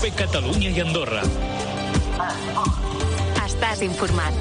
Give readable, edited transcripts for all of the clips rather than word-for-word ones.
COPE Catalunya i Andorra. Estàs informat.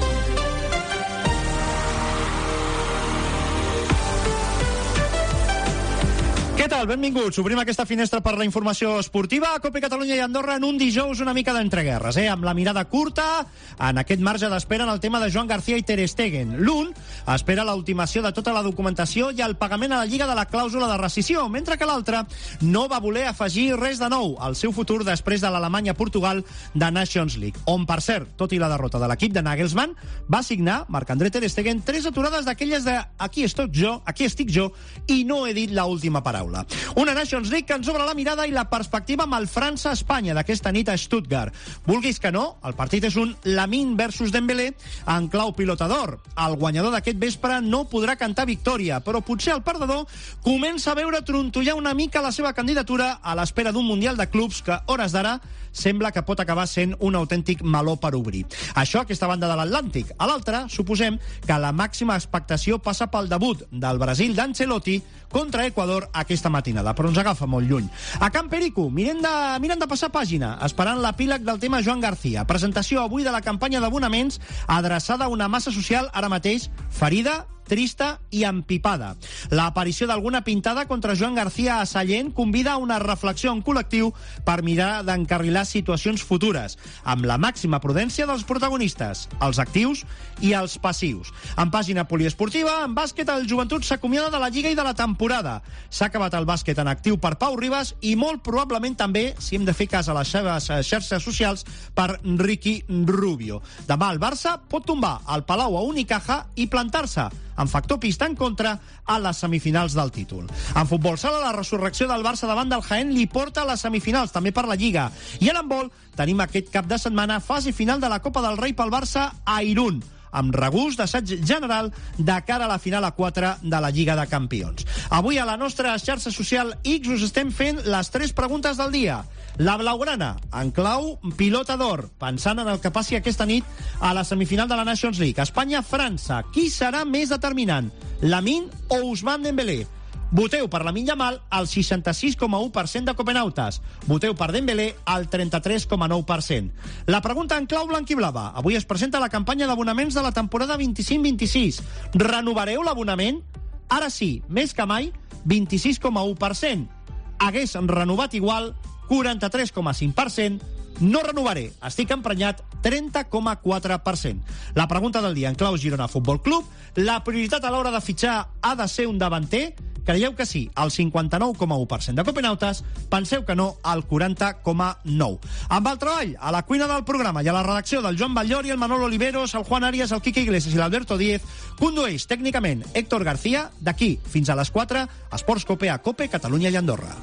Què tal? Benvinguts. Obrim aquesta finestra per la informació esportiva a COPE Catalunya i Andorra en un dijous una mica d'entreguerres, amb la mirada curta en aquest marge d'espera en el tema de Joan García i Ter Stegen. L'un espera l'ultimació de tota la documentació i el pagament a la Lliga de la clàusula de rescissió, mentre que l'altre no va voler afegir res de nou al seu futur després de l'Alemanya-Portugal de Nations League, on, per cert, tot i la derrota de l'equip de Nagelsmann, va signar Marc-André Ter Stegen 3 aturades d'aquelles de aquí estic jo i no he dit l'última paraula. Una Nations League que ens obre la mirada i la perspectiva amb el França-Espanya d'aquesta nit a Stuttgart. Vulguis que no, el partit és un Lamine versus Dembélé en clau pilotador. El guanyador d'aquest vespre no podrà cantar victòria, però potser el perdedor comença a veure trontollar una mica la seva candidatura a l'espera d'un Mundial de Clubs que, hores d'ara, sembla que pot acabar sent un autèntic meló per obrir. Això a aquesta banda de l'Atlàntic. A l'altra, suposem que la màxima expectació passa pel debut del Brasil d'Ancelotti contra Equador aquesta matinada, però ens agafa molt lluny. A Can Perico, mirem de passar pàgina, esperant l'epíleg del tema Joan García. Presentació avui de la campanya d'abonaments adreçada a una massa social ara mateix ferida, trista i empipada. L'aparició d'alguna pintada contra Joan García a Sallent convida a una reflexió en col·lectiu per mirar d'encarrilar situacions futures, amb la màxima prudència dels protagonistes, els actius i els passius. En pàgina poliesportiva, en bàsquet, el Joventut s'acomiada de la Lliga i de la temporada. S'ha acabat el bàsquet en actiu per Pau Ribas i molt probablement també, si hem de fer cas a les seves xarxes socials, per Ricky Rubio. Demà el Barça pot tombar el Palau a Unicaja i plantar-se en factor pista en contra a les semifinals del títol. En futbol sala, la resurrecció del Barça davant del Jaén li porta a les semifinals, també per la Lliga. I en handbol tenim aquest cap de setmana fase final de la Copa del Rei pel Barça a Irún, amb regust d'assaig general de cara a la final a 4 de la Lliga de Campions. Avui a la nostra xarxa social X us estem fent les 3 preguntes del dia. La blaugrana, en clau pilota d'or, pensant en el que passi aquesta nit a la semifinal de la Nations League. Espanya-França, qui serà més determinant? Lamine o Ousmane Dembélé? Voteu per Lamine Yamal al 66,1% de copenautes. Voteu per Dembélé al 33,9%. La pregunta en clau blanquiblava. Avui es presenta la campanya d'abonaments de la temporada 25-26. Renovareu l'abonament? Ara sí, més que mai, 26,1%. Hagués renovat igual, 43,5%. No renovaré, estic emprenyat, 30,4%. La pregunta del dia en clau Girona Futbol Club. La prioritat a l'hora de fitxar ha de ser un davanter? Creieu que sí, al 59,1% de copenautes. Penseu que no, al 40,9%. Amb el treball, a la cuina del programa i a la redacció del Joan Batllori, el Manolo Oliveros, el Juan Arias, el Quique Iglesias i l'Alberto Díez, condueix tècnicament Héctor García. D'aquí fins a les 4, Esports Cope a Cope, Catalunya i Andorra.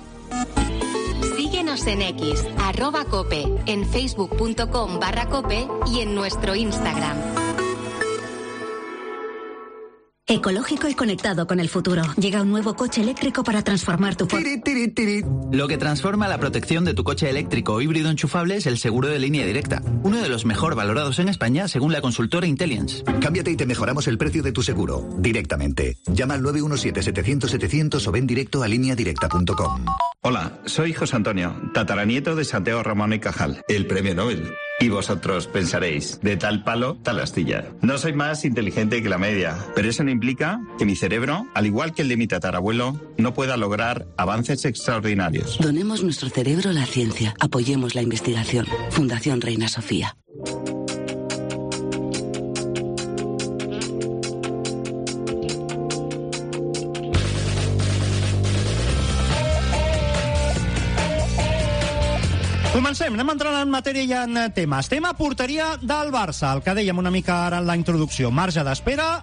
Síguenos en X, @cope, en facebook.com/cope y en nuestro Instagram. Ecológico y conectado con el futuro. Llega un nuevo coche eléctrico para transformar tu... Lo que transforma la protección de tu coche eléctrico o híbrido enchufable es el seguro de línea directa. Uno de los mejor valorados en España según la consultora Intellience. Cámbiate y te mejoramos el precio de tu seguro. Directamente. Llama al 917-700-700 o ven directo a lineadirecta.com. Hola, soy José Antonio, tataranieto de Santiago Ramón y Cajal, el premio Nobel. Y vosotros pensaréis, de tal palo, tal astilla. No soy más inteligente que la media, pero eso no implica que mi cerebro, al igual que el de mi tatarabuelo, no pueda lograr avances extraordinarios. Donemos nuestro cerebro a la ciencia. Apoyemos la investigación. Fundación Reina Sofía. Comencem, anem entrant en matèria i en temes. Tema porteria del Barça, el que dèiem una mica ara en la introducció. Marge d'espera,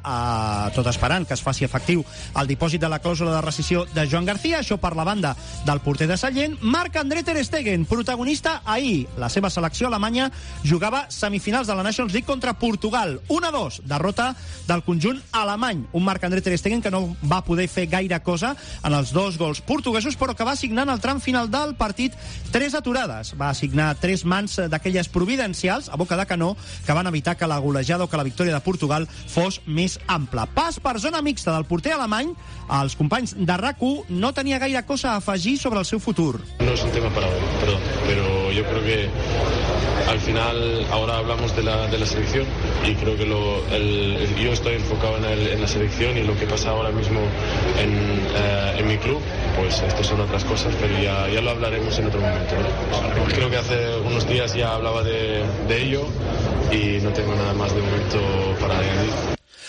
tot esperant que es faci efectiu el dipòsit de la clàusula de rescissió de Joan García, això per la banda del porter de Sallent. Marc-André Ter Stegen, protagonista ahir. La seva selecció alemanya jugava semifinals de la Nations League contra Portugal. 1-2, derrota del conjunt alemany. Un Marc-André Ter Stegen que no va poder fer gaire cosa en els 2 gols portuguesos, però que va signar en el tram final del partit 3 aturades. va assignar 3 mans d'aquelles providencials a boca de canó que van evitar que la golejada o que la victòria de Portugal fos més ampla. Pas per zona mixta del porter alemany, els companys de RAC1 no tenia gaire cosa a afegir sobre el seu futur. No es un tema para hoy, perdón, pero yo creo que al final ahora hablamos de la selección y creo que yo estoy enfocado en la selección y lo que pasa ahora mismo en mi club, pues esto son otras cosas, pero ya lo hablaremos en otro momento, ¿no? Creo que hace unos días ya hablaba de ello y no tengo nada más de momento para añadir.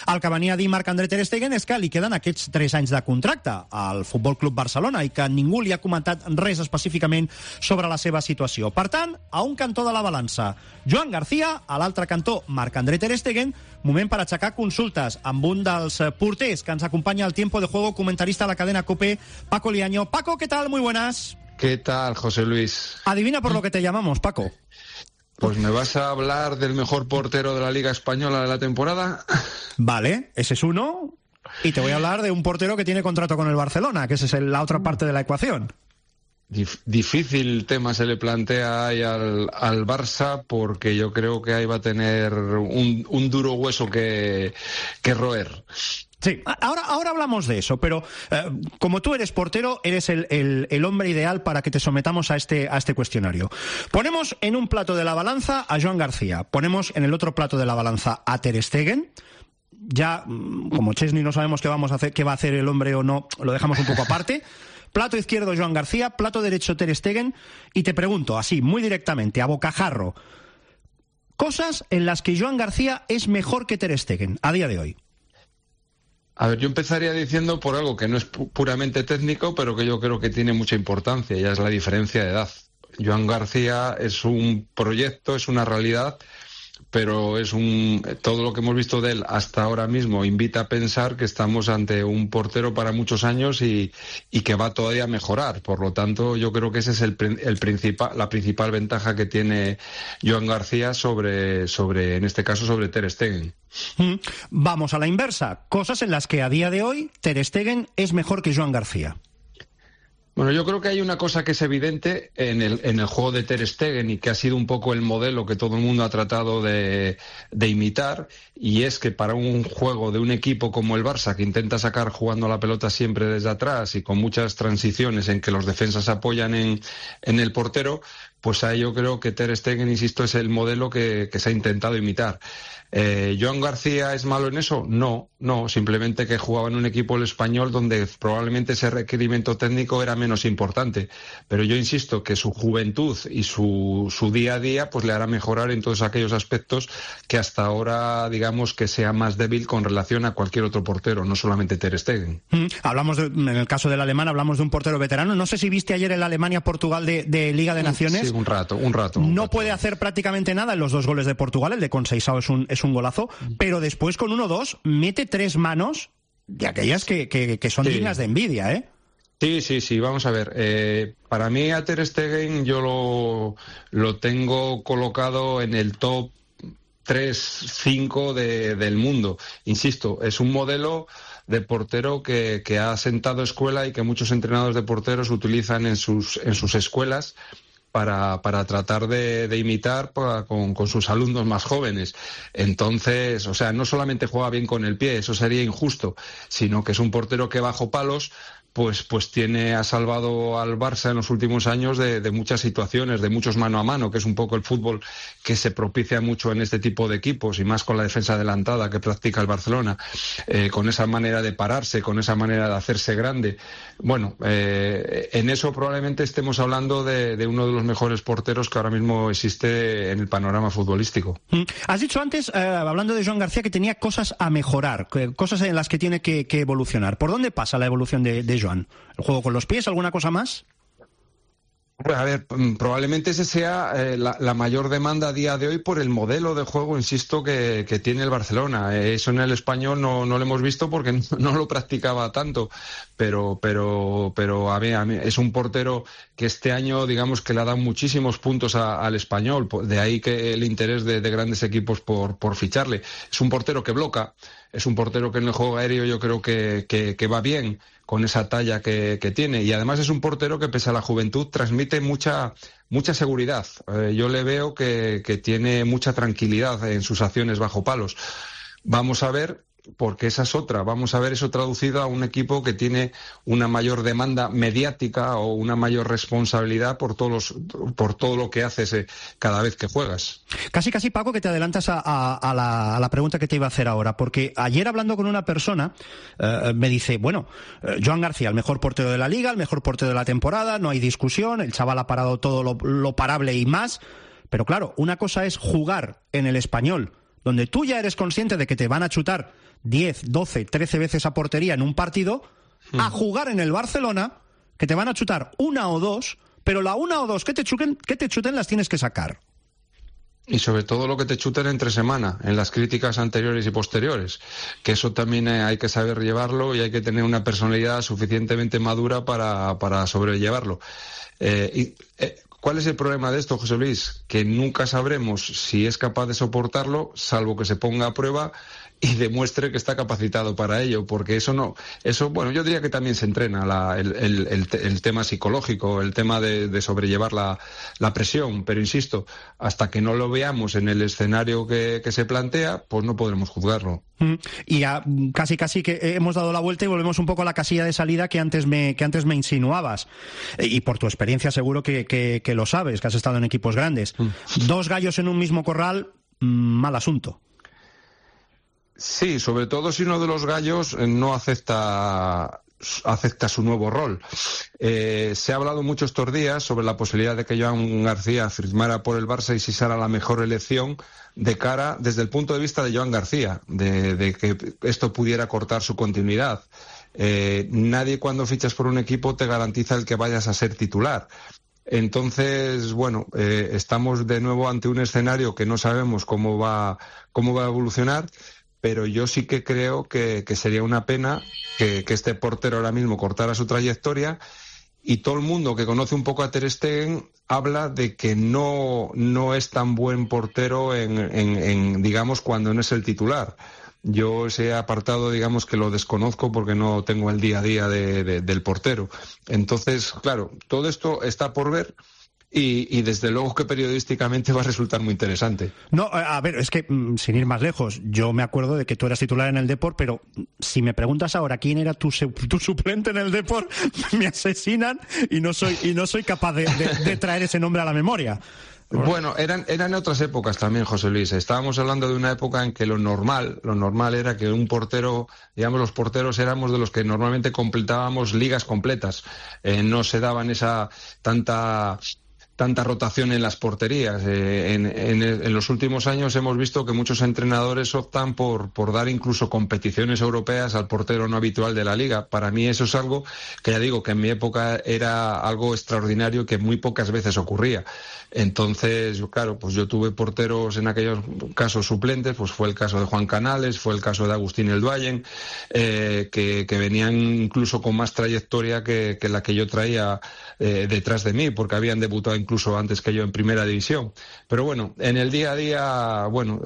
El que venia a dir Marc-André ter Stegen és que li queden aquests 3 anys de contracte al Futbol Club Barcelona i que ningú li ha comentat res específicament sobre la seva situació. Per tant, a un cantó de la balança, Joan García, a l'altre cantó, Marc-André ter Stegen, moment per aixecar consultes amb un dels porters que ens acompanya al Tiempo de Juego, comentarista de la cadena COPE, Paco Liaño. Paco, ¿qué tal? Muy buenas. ¿Qué tal, José Luis? Adivina por lo que te llamamos, Paco. Pues me vas a hablar del mejor portero de la Liga Española de la temporada. Vale, ese es uno. Y te voy a hablar de un portero que tiene contrato con el Barcelona, que esa es la otra parte de la ecuación. Difícil tema se le plantea ahí al Barça, porque yo creo que ahí va a tener un duro hueso que roer. Sí, ahora hablamos de eso, pero como tú eres portero, eres el hombre ideal para que te sometamos a este cuestionario. Ponemos en un plato de la balanza a Joan García, ponemos en el otro plato de la balanza a Ter Stegen. Ya, como Chesney no sabemos qué va a hacer el hombre o no, lo dejamos un poco aparte. Plato izquierdo Joan García, plato derecho Ter Stegen, y te pregunto, así, muy directamente, a bocajarro, cosas en las que Joan García es mejor que Ter Stegen a día de hoy. A ver, yo empezaría diciendo por algo que no es puramente técnico, pero que yo creo que tiene mucha importancia, y es la diferencia de edad. Joan García es un proyecto, es una realidad, pero todo lo que hemos visto de él hasta ahora mismo invita a pensar que estamos ante un portero para muchos años y que va todavía a mejorar. Por lo tanto, yo creo que esa es la principal ventaja que tiene Joan García sobre en este caso, sobre Ter Stegen. Vamos a la inversa. Cosas en las que a día de hoy Ter Stegen es mejor que Joan García. Bueno, yo creo que hay una cosa que es evidente en el juego de Ter Stegen y que ha sido un poco el modelo que todo el mundo ha tratado de imitar, y es que para un juego de un equipo como el Barça, que intenta sacar jugando la pelota siempre desde atrás y con muchas transiciones en que los defensas apoyan en el portero, pues ahí yo creo que Ter Stegen, insisto, es el modelo que se ha intentado imitar. ¿Joan García es malo en eso? No, simplemente que jugaba en un equipo el Español donde probablemente ese requerimiento técnico era menos importante, pero yo insisto que su juventud y su día a día pues le hará mejorar en todos aquellos aspectos que hasta ahora digamos que sea más débil con relación a cualquier otro portero, no solamente Ter Stegen. En el caso del alemán hablamos de un portero veterano. No sé si viste ayer el Alemania-Portugal de Liga de Naciones. Sí, un rato. No puede hacer prácticamente nada en los 2 goles de Portugal. El de Conceição es un golazo, pero después con 1-2 mete 3 manos de aquellas que son dignas de envidia, ¿eh? Sí, vamos a ver. Para mí a Ter Stegen yo lo tengo colocado en el top 3-5 del mundo. Insisto, es un modelo de portero que ha sentado escuela y que muchos entrenadores de porteros utilizan en sus escuelas para tratar de imitar con sus alumnos más jóvenes. Entonces, o sea, no solamente juega bien con el pie, eso sería injusto, sino que es un portero que bajo palos pues ha salvado al Barça en los últimos años de muchas situaciones, de muchos mano a mano, que es un poco el fútbol que se propicia mucho en este tipo de equipos, y más con la defensa adelantada que practica el Barcelona, con esa manera de pararse, con esa manera de hacerse grande. Bueno, en eso probablemente estemos hablando de uno de los mejores porteros que ahora mismo existe en el panorama futbolístico. Has dicho antes, hablando de Joan García, que tenía cosas a mejorar, cosas en las que tiene que evolucionar. ¿Por dónde pasa la evolución de Joan? ¿El juego con los pies? ¿Alguna cosa más? A ver, probablemente ese sea la mayor demanda a día de hoy por el modelo de juego, insisto, que tiene el Barcelona. Eso en el Español no lo hemos visto porque no lo practicaba tanto, pero a mí es un portero que este año, digamos, que le ha dado muchísimos puntos al Español, de ahí que el interés de grandes equipos por ficharle. Es un portero que bloca, es un portero que en el juego aéreo yo creo que va bien, con esa talla que tiene. Y además es un portero que, pese a la juventud, transmite mucha seguridad. Yo le veo que tiene mucha tranquilidad en sus acciones bajo palos. Vamos a ver, porque esa es otra, vamos a ver eso traducido a un equipo que tiene una mayor demanda mediática o una mayor responsabilidad por todo lo que haces cada vez que juegas. Casi, Paco, que te adelantas a la pregunta que te iba a hacer ahora, porque ayer hablando con una persona me dice, bueno, Joan García, el mejor portero de la Liga, el mejor portero de la temporada, no hay discusión, el chaval ha parado todo lo parable y más, pero claro, una cosa es jugar en el Español, donde tú ya eres consciente de que te van a chutar 10, 12, 13 veces a portería en un partido, a jugar en el Barcelona, que te van a chutar una o dos, pero la una o dos que te chuten las tienes que sacar. Y sobre todo lo que te chuten entre semana, en las críticas anteriores y posteriores, que eso también hay que saber llevarlo y hay que tener una personalidad suficientemente madura para sobrellevarlo. ¿Cuál es el problema de esto, José Luis? Que nunca sabremos si es capaz de soportarlo, salvo que se ponga a prueba y demuestre que está capacitado para ello, porque bueno, yo diría que también se entrena el tema psicológico, el tema de sobrellevar la presión, pero insisto, hasta que no lo veamos en el escenario que se plantea, pues no podremos juzgarlo. Y ya casi que hemos dado la vuelta y volvemos un poco a la casilla de salida que antes me insinuabas, y por tu experiencia seguro que lo sabes, que has estado en equipos grandes. Dos gallos en un mismo corral, mal asunto. Sí, sobre todo si uno de los gallos no acepta su nuevo rol. Se ha hablado mucho estos días sobre la posibilidad de que Joan García firmara por el Barça y si será la mejor elección de cara desde el punto de vista de Joan García, de que esto pudiera cortar su continuidad. Nadie cuando fichas por un equipo te garantiza el que vayas a ser titular. Entonces, bueno, estamos de nuevo ante un escenario que no sabemos cómo va a evolucionar, pero yo sí que creo que sería una pena que este portero ahora mismo cortara su trayectoria, y todo el mundo que conoce un poco a Ter Stegen habla de que no es tan buen portero en digamos, cuando no es el titular. Yo ese apartado, digamos, que lo desconozco porque no tengo el día a día del portero. Entonces, claro, todo esto está por ver. Y desde luego que periodísticamente va a resultar muy interesante. No, a ver, es que sin ir más lejos, yo me acuerdo de que tú eras titular en el Depor, pero si me preguntas ahora quién era tu suplente en el Depor, me asesinan y no soy capaz de traer ese nombre a la memoria. Bueno, eran otras épocas también, José Luis. Estábamos hablando de una época en que lo normal era que un portero, digamos, los porteros éramos de los que normalmente completábamos ligas completas. No se daban esa tanta rotación en las porterías. En los últimos años hemos visto que muchos entrenadores optan por dar incluso competiciones europeas al portero no habitual de la liga. Para mí eso es algo que, ya digo, que en mi época era algo extraordinario que muy pocas veces ocurría. Entonces, claro, pues yo tuve porteros en aquellos casos suplentes, pues fue el caso de Juan Canales, fue el caso de Agustín Elduayen, que venían incluso con más trayectoria que la que yo traía detrás de mí, porque habían debutado incluso antes que yo en primera división. Pero bueno, en el día a día, bueno,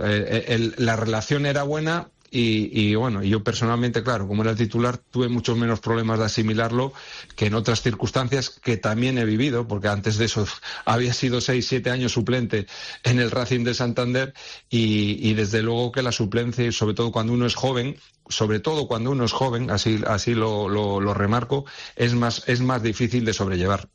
la relación era buena. Y bueno, yo personalmente, claro, como era el titular, tuve muchos menos problemas de asimilarlo que en otras circunstancias que también he vivido, porque antes de eso había sido 6-7 años suplente en el Racing de Santander y desde luego que la suplencia, y sobre todo cuando uno es joven, así lo remarco, es más difícil de sobrellevar.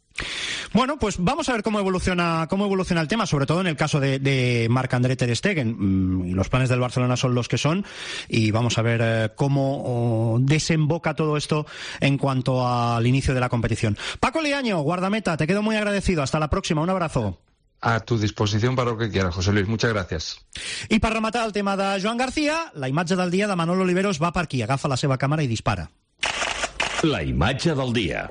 Bueno, pues vamos a ver cómo evoluciona el tema, sobre todo en el caso de Marc-André Ter Stegen. Los planes del Barcelona son los que son y vamos a ver cómo desemboca todo esto en cuanto al inicio de la competición. Paco Liaño, guardameta, te quedo muy agradecido. Hasta la próxima, un abrazo. A tu disposición para lo que quieras, José Luis. Muchas gracias. I per rematar el tema de Joan García, la imatge del dia de Manolo Oliveros va per aquí. Agafa la seva càmera i dispara. La imatge del dia.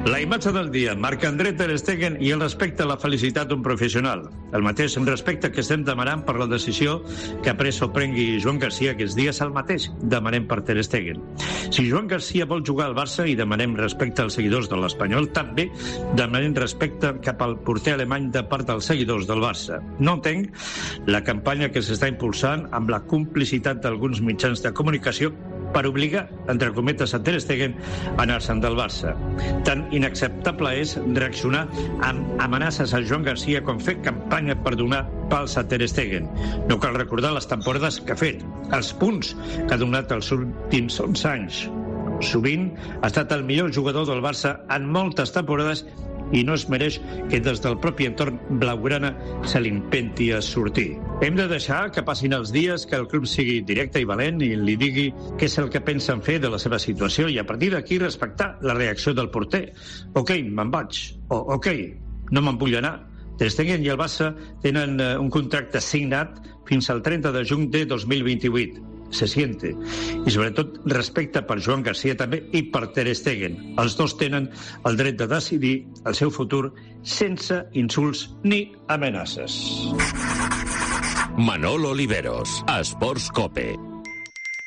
La imatge del dia, Marc-André Ter Stegen i el respecte a la felicitat d'un professional. El mateix respecte que estem demanant per la decisió que ha pres o prengui Joan García aquests dies, el mateix demanem per Ter Stegen. Si Joan García vol jugar al Barça i demanem respecte als seguidors de l'Espanyol, també demanem respecte cap al porter alemany de part dels seguidors del Barça. No entenc la campanya que s'està impulsant amb la complicitat d'alguns mitjans de comunicació per obligar, entre cometes, a Ter Stegen a anar-se'n del Barça. Tan inacceptable és reaccionar amb amenaces a Joan Garcia com fer campanya per donar pals a Ter Stegen. No cal recordar les temporades que ha fet, els punts que ha donat els últims 11 anys. Sovint ha estat el millor jugador del Barça en moltes temporades i no es mereix que des del propi entorn blaugrana se l'intenti a sortir. Hem de deixar que passin els dies, que el club sigui directe i valent i li digui què és el que pensen fer de la seva situació i a partir d'aquí respectar la reacció del porter. Ok, me'n vaig. O ok, no me'n vull anar. Ter Stegen i el Barça tenen un contracte signat fins al 30 de juny de 2028. Se siente. I sobretot respecte per Joan Garcia també i per Ter Stegen. Els dos tenen el dret de decidir el seu futur sense insults ni amenaces. Manolo Oliveros, Sports Cope.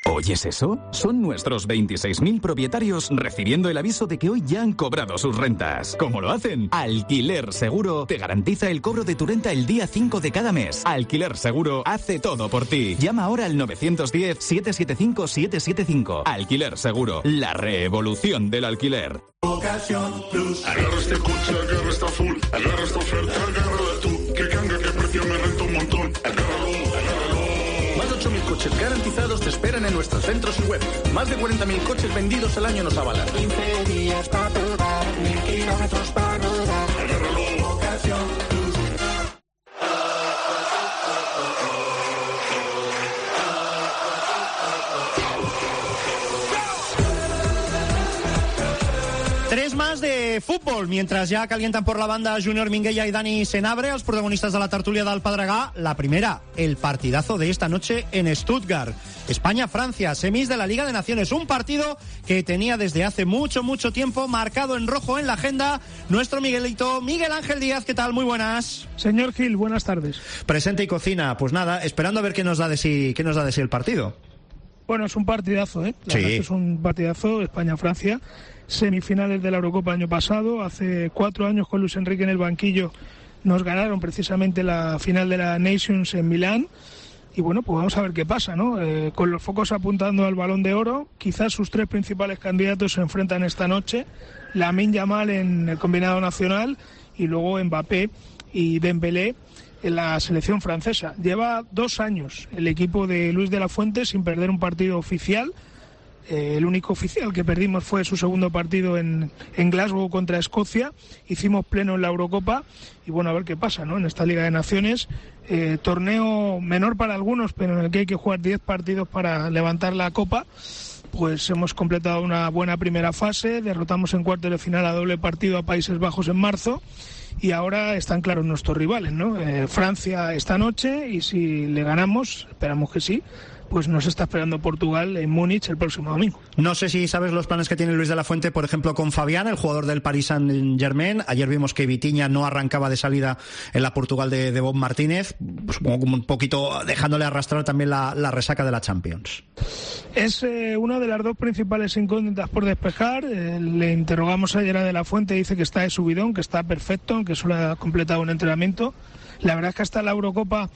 ¿Oyes eso? Son nuestros 26.000 propietarios recibiendo el aviso de que hoy ya han cobrado sus rentas. ¿Cómo lo hacen? Alquiler Seguro te garantiza el cobro de tu renta el día 5 de cada mes. Alquiler Seguro hace todo por ti. Llama ahora al 910-775-775. Alquiler Seguro, la revolución del alquiler. Ocasión Plus. Agarra este coche, agarra esta full, agarra esta oferta, agárrala tú. Que canga, que precio me renta un montón. Agárralo. Más de 8.000 coches garantizados te esperan en nuestros centros y web. Más de 40.000 coches vendidos al año nos avalan. 15 días para probar, 1.000 kilómetros para rodar. Agárralo. Ocasión Plus. 3 más de fútbol, mientras ya calientan por la banda Junior Minguella y Dani Senabre, los protagonistas de la tertulia del Pedregà. La primera, el partidazo de esta noche en Stuttgart. España-Francia, semis de la Liga de Naciones. Un partido que tenía desde hace mucho tiempo marcado en rojo en la agenda nuestro Miguelito, Miguel Ángel Díaz. ¿Qué tal? Muy buenas. Señor Gil, buenas tardes. Presente y cocina. Pues nada, esperando a ver qué nos da de sí el partido. Bueno, es un partidazo, ¿eh? La sí. verdad es que es un partidazo, España-Francia. Semifinales de la Eurocopa año pasado, hace 4 años con Luis Enrique en el banquillo nos ganaron precisamente la final de la Nations en Milán y bueno, pues vamos a ver qué pasa, ¿no? Con los focos apuntando al Balón de Oro, quizás sus 3 principales candidatos se enfrentan esta noche, Lamine Yamal en el combinado nacional y luego Mbappé y Dembélé en la selección francesa. Lleva 2 años el equipo de Luis de la Fuente sin perder un partido oficial. El único oficial que perdimos fue su segundo partido en Glasgow contra Escocia. Hicimos pleno en la Eurocopa y bueno, a ver qué pasa, ¿no? En esta Liga de Naciones, torneo menor para algunos, pero en el que hay que jugar 10 partidos para levantar la Copa. Pues hemos completado una buena primera fase, derrotamos en cuartos de final a doble partido a Países Bajos en marzo y ahora están claros nuestros rivales, ¿no? Francia esta noche y si le ganamos, esperamos que sí, pues nos está esperando Portugal en Múnich el próximo domingo. No sé si sabes los planes que tiene Luis de la Fuente, por ejemplo, con Fabián, el jugador del Paris Saint-Germain. Ayer vimos que Vitinha no arrancaba de salida en la Portugal de Bob Martínez, supongo como un poquito dejándole arrastrar también la resaca de la Champions. Es una de las 2 principales incógnitas por despejar. Le interrogamos ayer a de la Fuente, dice que está de subidón, que está perfecto, que solo ha completado un entrenamiento. La verdad es que hasta la Eurocopa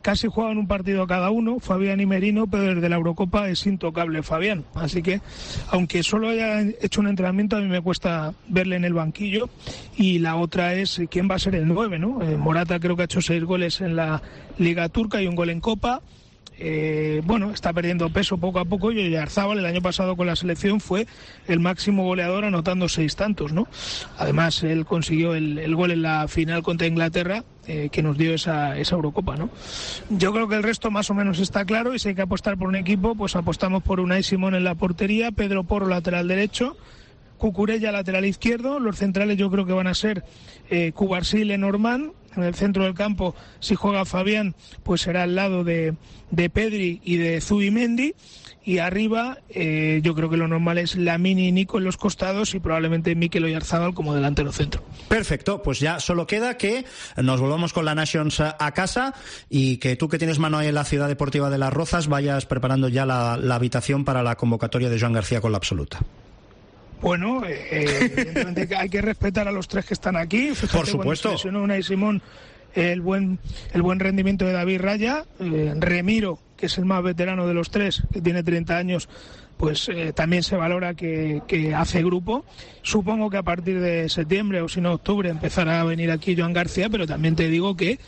casi juegan un partido cada uno, Fabián y Merino, pero desde la Eurocopa es intocable Fabián. Así que, aunque solo haya hecho un entrenamiento, a mí me cuesta verle en el banquillo. Y la otra es quién va a ser el 9, ¿no? Morata creo que ha hecho 6 goles en la Liga Turca y un gol en Copa. Bueno, está perdiendo peso poco a poco y Oyarzábal el año pasado con la selección fue el máximo goleador anotando 6 tantos, ¿no? Además él consiguió el gol en la final contra Inglaterra que nos dio esa Eurocopa, ¿no? Yo creo que el resto más o menos está claro y si hay que apostar por un equipo, pues apostamos por Unai Simón en la portería, Pedro Porro lateral derecho, Cucurella lateral izquierdo, los centrales yo creo que van a ser Cubarsí y Lenormand. En el centro del campo, si juega Fabián, pues será al lado de Pedri y de Zubimendi. Y arriba, yo creo que lo normal es Lamine y Nico en los costados y probablemente Mikel Oyarzábal como delantero centro. Perfecto, pues ya solo queda que nos volvamos con la Nations a casa y que tú que tienes mano ahí en la Ciudad Deportiva de Las Rozas vayas preparando ya la habitación para la convocatoria de Joan García con la absoluta. Bueno, evidentemente hay que respetar a los 3 que están aquí. Fíjate, por supuesto. Cuando se lesionó Unai Simón, el buen rendimiento de David Raya, Remiro, que es el más veterano de los 3, que tiene 30 años, pues también se valora que hace grupo. Supongo que a partir de septiembre o si no octubre empezará a venir aquí Joan García, pero también te digo que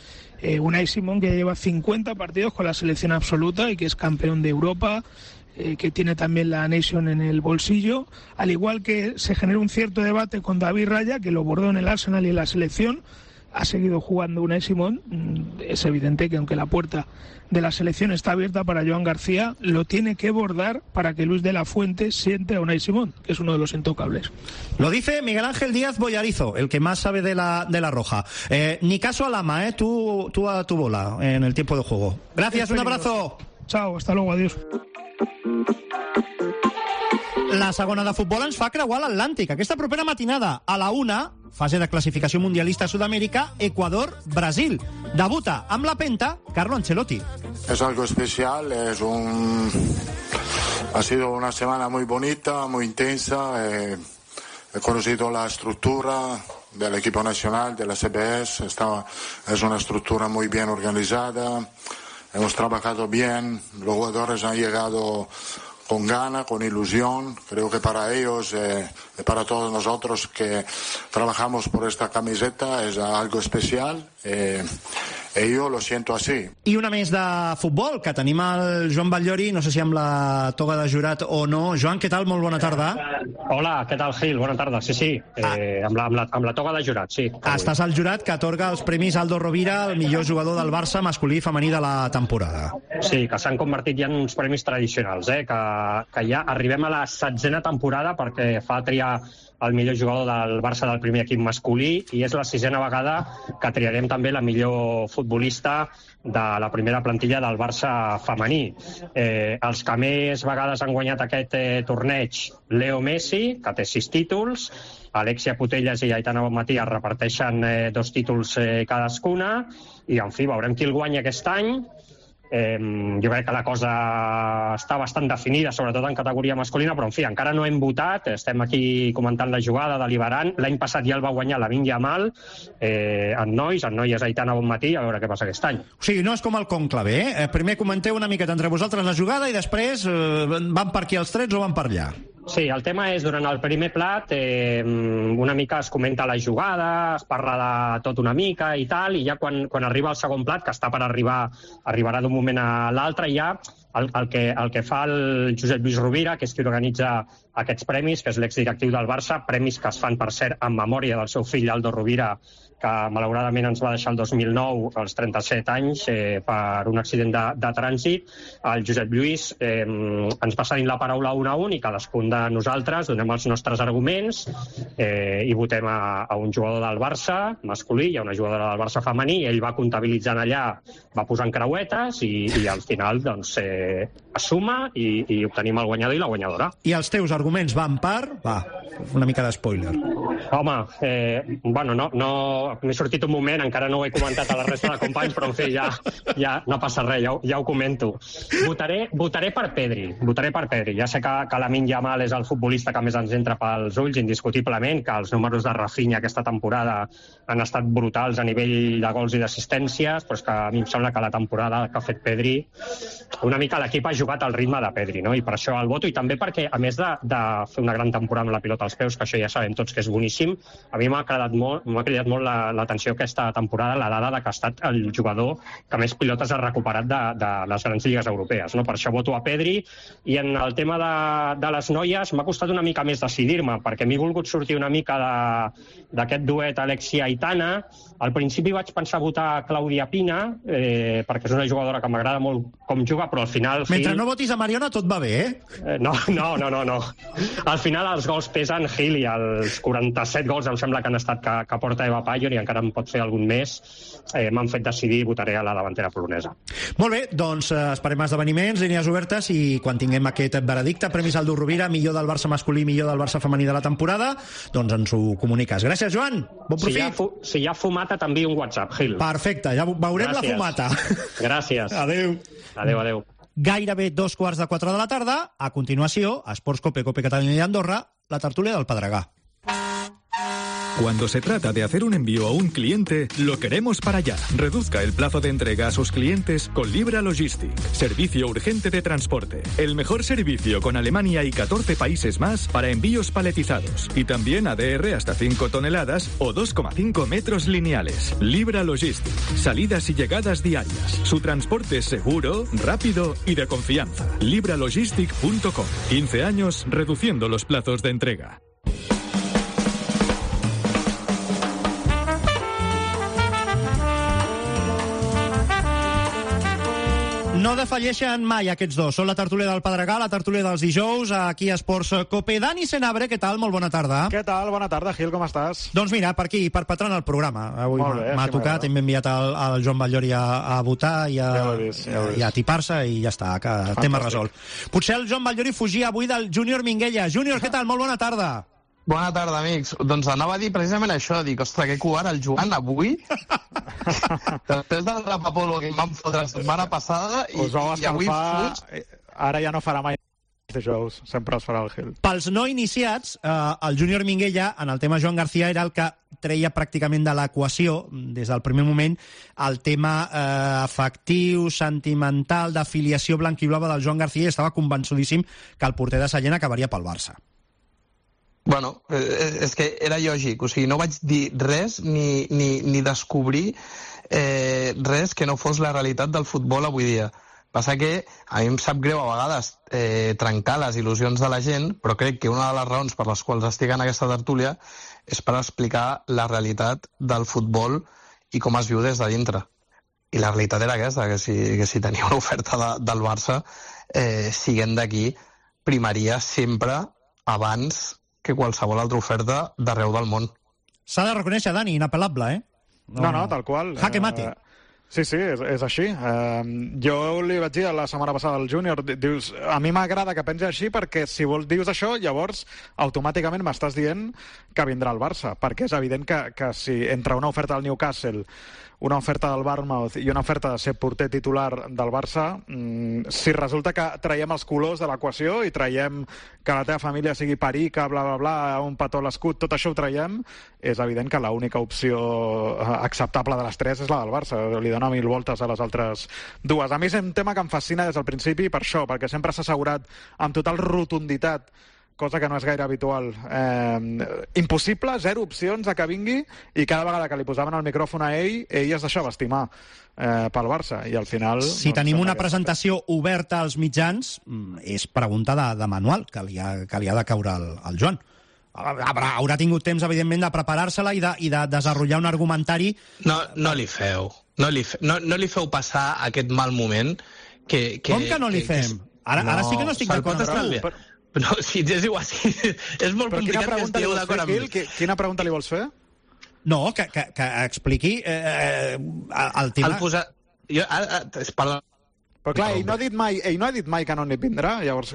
Unai Simón, que lleva 50 partidos con la selección absoluta y que es campeón de Europa, que tiene también la Nation en el bolsillo, al igual que se genera un cierto debate con David Raya, que lo bordó en el Arsenal y en la selección, ha seguido jugando Unai Simón. Es evidente que aunque la puerta de la selección está abierta para Joan García, lo tiene que bordar para que Luis de la Fuente siente a Unai Simón, que es uno de los intocables. Lo dice Miguel Ángel Díaz Boyarizo, el que más sabe de la Roja. Ni caso a Lama, tú a tu bola en el tiempo de juego. Gracias, un abrazo. Chao, hasta luego, adiós. La segona de futbol ens fa creuar l'Atlàntic. Aquesta propera matinada a la 1, fase de classificació mundialista a Sud-amèrica, Ecuador-Brasil. Debuta amb la penta Carlo Ancelotti. Es algo especial, ha sido una semana muy bonita, muy intensa. He conocido la estructura del equipo nacional, de la CBS. Es una estructura muy bien organizada. Hemos trabajado bien, los jugadores han llegado con ganas, con ilusión. Creo que para ellos y para todos nosotros que trabajamos por esta camiseta es algo especial. Jo lo siento así. I una més de futbol, que tenim el Joan Batllori, no sé si amb la toga de jurat o no. Joan, què tal? Molt bona tarda. Hola, què tal, Gil? Bona tarda. Sí, amb la toga de jurat, sí. Estàs al jurat que atorga els premis Aldo Rovira, el millor jugador del Barça masculí i femení de la temporada. Sí, que s'han convertit ja en uns premis tradicionals, que ja arribem a la 16a temporada perquè fa triar el millor jugador del Barça del primer equip masculí i és la 6a vegada que triarem també la millor futbolista de la primera plantilla del Barça femení. Els que més vegades han guanyat aquest torneig, Leo Messi, que té 6 títols, Alexia Putellas i Aitana Bonmatí es reparteixen 2 títols cadascuna i, en fi, veurem qui el guanya aquest any. Jo crec que la cosa està bastant definida, sobretot en categoria masculina, però en fi, encara no hem votat, estem aquí comentant la jugada, deliberant. L'any passat ja el va guanyar Lamine Yamal en noies Aitana Bonmatí, a veure què passa aquest any. O sigui, no és com el conclave, primer comenteu una miqueta entre vosaltres la jugada i després van per aquí els trets o van per allà. Sí, el tema és, durant el primer plat, una mica es comenta la jugada, es parla de tot una mica i tal, i ja quan arriba el segon plat, que està per arribarà d'un moment a l'altre, ja el que fa el Josep Lluís Rovira, que és qui organitza aquests premis, que és l'exdirectiu del Barça, premis que es fan, per cert, en memòria del seu fill Aldo Rovira, que malauradament ens va deixar el 2009, als 37 anys, per un accident de trànsit. El Josep Lluís ens va cedint la paraula un a un i cadascun de nosaltres donem els nostres arguments i votem a un jugador del Barça masculí i a una jugadora del Barça femení, i ell va comptabilitzant allà, va posant creuetes i al final doncs es suma i obtenim el guanyador i la guanyadora. I els teus arguments van per... Va, una mica d'espoiler. Home, bueno, no m'he sortit un moment, encara no ho he comentat a la resta de companys, però en fi, ja no passa res, ja ho comento. Votaré per Pedri. Ja sé que Lamine Yamal és el futbolista que més ens entra pels ulls, indiscutiblement, que els números de Rafinha aquesta temporada han estat brutals a nivell de gols i d'assistències, però és que a mi em sembla que la temporada que ha fet Pedri, una mica l'equip ha jugat al ritme de Pedri, no? I per això el voto, i també perquè, a més de fer una gran temporada amb la pilota als peus, que això ja sabem tots que és boníssim, a mi m'ha cridat molt l'atenció aquesta temporada, la dada que ha estat el jugador que més pilotes ha recuperat de les grans lligues europees, no? Per això voto a Pedri. I en el tema de les noies m'ha costat una mica més decidir-me, perquè m'he volgut sortir una mica d'aquest duet Alexia-Aitana. Al principi vaig pensar votar Clàudia Pina, perquè és una jugadora que m'agrada molt com juga, però al final... Mentre no votis a Mariona tot va bé, No. Al final els gols pesen, Gil, i els 47 gols em sembla que han estat que porta Eva Pallor, i encara en pot fer algun més. M'han fet decidir i votaré a la davantera polonesa. Molt bé, doncs esperem esdeveniments, línies obertes, i quan tinguem aquest veredicte, premis Aldo Rovira, millor del Barça masculí, millor del Barça femení de la temporada, doncs ens ho comuniques. Gràcies, Joan. Bon profit. Si hi ha fumata, t'envio un WhatsApp, Gil. Perfecte, ja veurem. Gràcies. La fumata. Gràcies. Adéu. Adéu. Gairebé 3:15 de la tarda. A continuació, a Esports Cope, Cope Catalunya i Andorra, la tertúlia del Pedregà. Cuando se trata de hacer un envío a un cliente, lo queremos para allá. Reduzca el plazo de entrega a sus clientes con Libra Logistic. Servicio urgente de transporte. El mejor servicio con Alemania y 14 países más para envíos paletizados. Y también ADR hasta 5 toneladas o 2,5 metros lineales. Libra Logistic. Salidas y llegadas diarias. Su transporte es seguro, rápido y de confianza. Libralogistic.com. 15 años reduciendo los plazos de entrega. No defalleixen mai aquests dos. Són la tertúlia del Pedregar, la tertúlia dels dijous, aquí a Esports Cope. Dani Senabre, què tal? Molt bona tarda. Què tal? Bona tarda, Gil, com estàs? Doncs mira, per aquí, perpetrant el programa. Avui m'ha tocat, hem enviat el Joan Batllori a votar i a tipar-se i ja està, que tema resolt. Potser el Joan Batllori fugia avui del Júnior Minguella. Júnior, què tal? Molt bona tarda. Bona tarda, amics. Doncs anava a dir precisament això, dic, ostres, que covard el Joan avui, després del rapapolo que em van fotre la setmana passada, i avui... Ara ja no farà mai dijous, sempre es farà el Gil. Pels no iniciats, el Júnior Minguella, en el tema Joan García, era el que treia pràcticament de l'equació, des del primer moment, el tema afectiu, sentimental, d'afiliació blanquiblava del Joan García, i estava convençudíssim que el porter de Sallent acabaria pel Barça. Bueno, és que era lògic, o sigui, no vaig dir res ni descobrir res que no fos la realitat del futbol avui dia. Passa que a mi em sap greu a vegades trencar les il·lusions de la gent, però crec que una de les raons per les quals estic en aquesta tertúlia és per explicar la realitat del futbol i com es viu des de dintre. I la realitat era aquesta, que si tenia una oferta del Barça, siguent d'aquí, primaria sempre abans que qualsevol altra oferta d'arreu del món. S'ha de reconèixer, Dani, inapel·lable, eh? No, tal qual. Jaque mate. Sí, és així. Jo li vaig dir la setmana passada al Júnior, dius, a mi m'agrada que pensi així perquè si dius això, llavors automàticament m'estàs dient que vindrà el Barça, perquè és evident que si entre una oferta del Newcastle, una oferta del Bournemouth i una oferta de ser porter titular del Barça, si resulta que traiem els colors de l'equació i traiem que la teva família sigui perica, bla, bla, bla, un petó a l'escut, tot això ho traiem, és evident que l'única opció acceptable de les tres és la del Barça. Li dona 1000 voltes a les altres dues. A mi és un tema que em fascina des del principi per això, perquè sempre s'ha assegurat amb total rotunditat, cosa que no és gaire habitual. Impossible, 0 opcions a que vingui, i cada vegada que li posaven el micròfon a ell es deixava estimar pel Barça, i al final... Si tenim una presentació oberta als mitjans, és pregunta de manual que li ha de caure al Joan. Haurà tingut temps, evidentment, de preparar-se-la i de desenvolupar un argumentari... No li feu. No li feu passar aquest mal moment que... Com que no li fem? Ara sí que no estic d'acord amb tu. No, si és igual, és molt complicat que estigueu d'acord amb mi. Quina pregunta li vols fer? No, que expliqui el tema... Però clar, ell no ha dit mai que no n'hi vindrà, llavors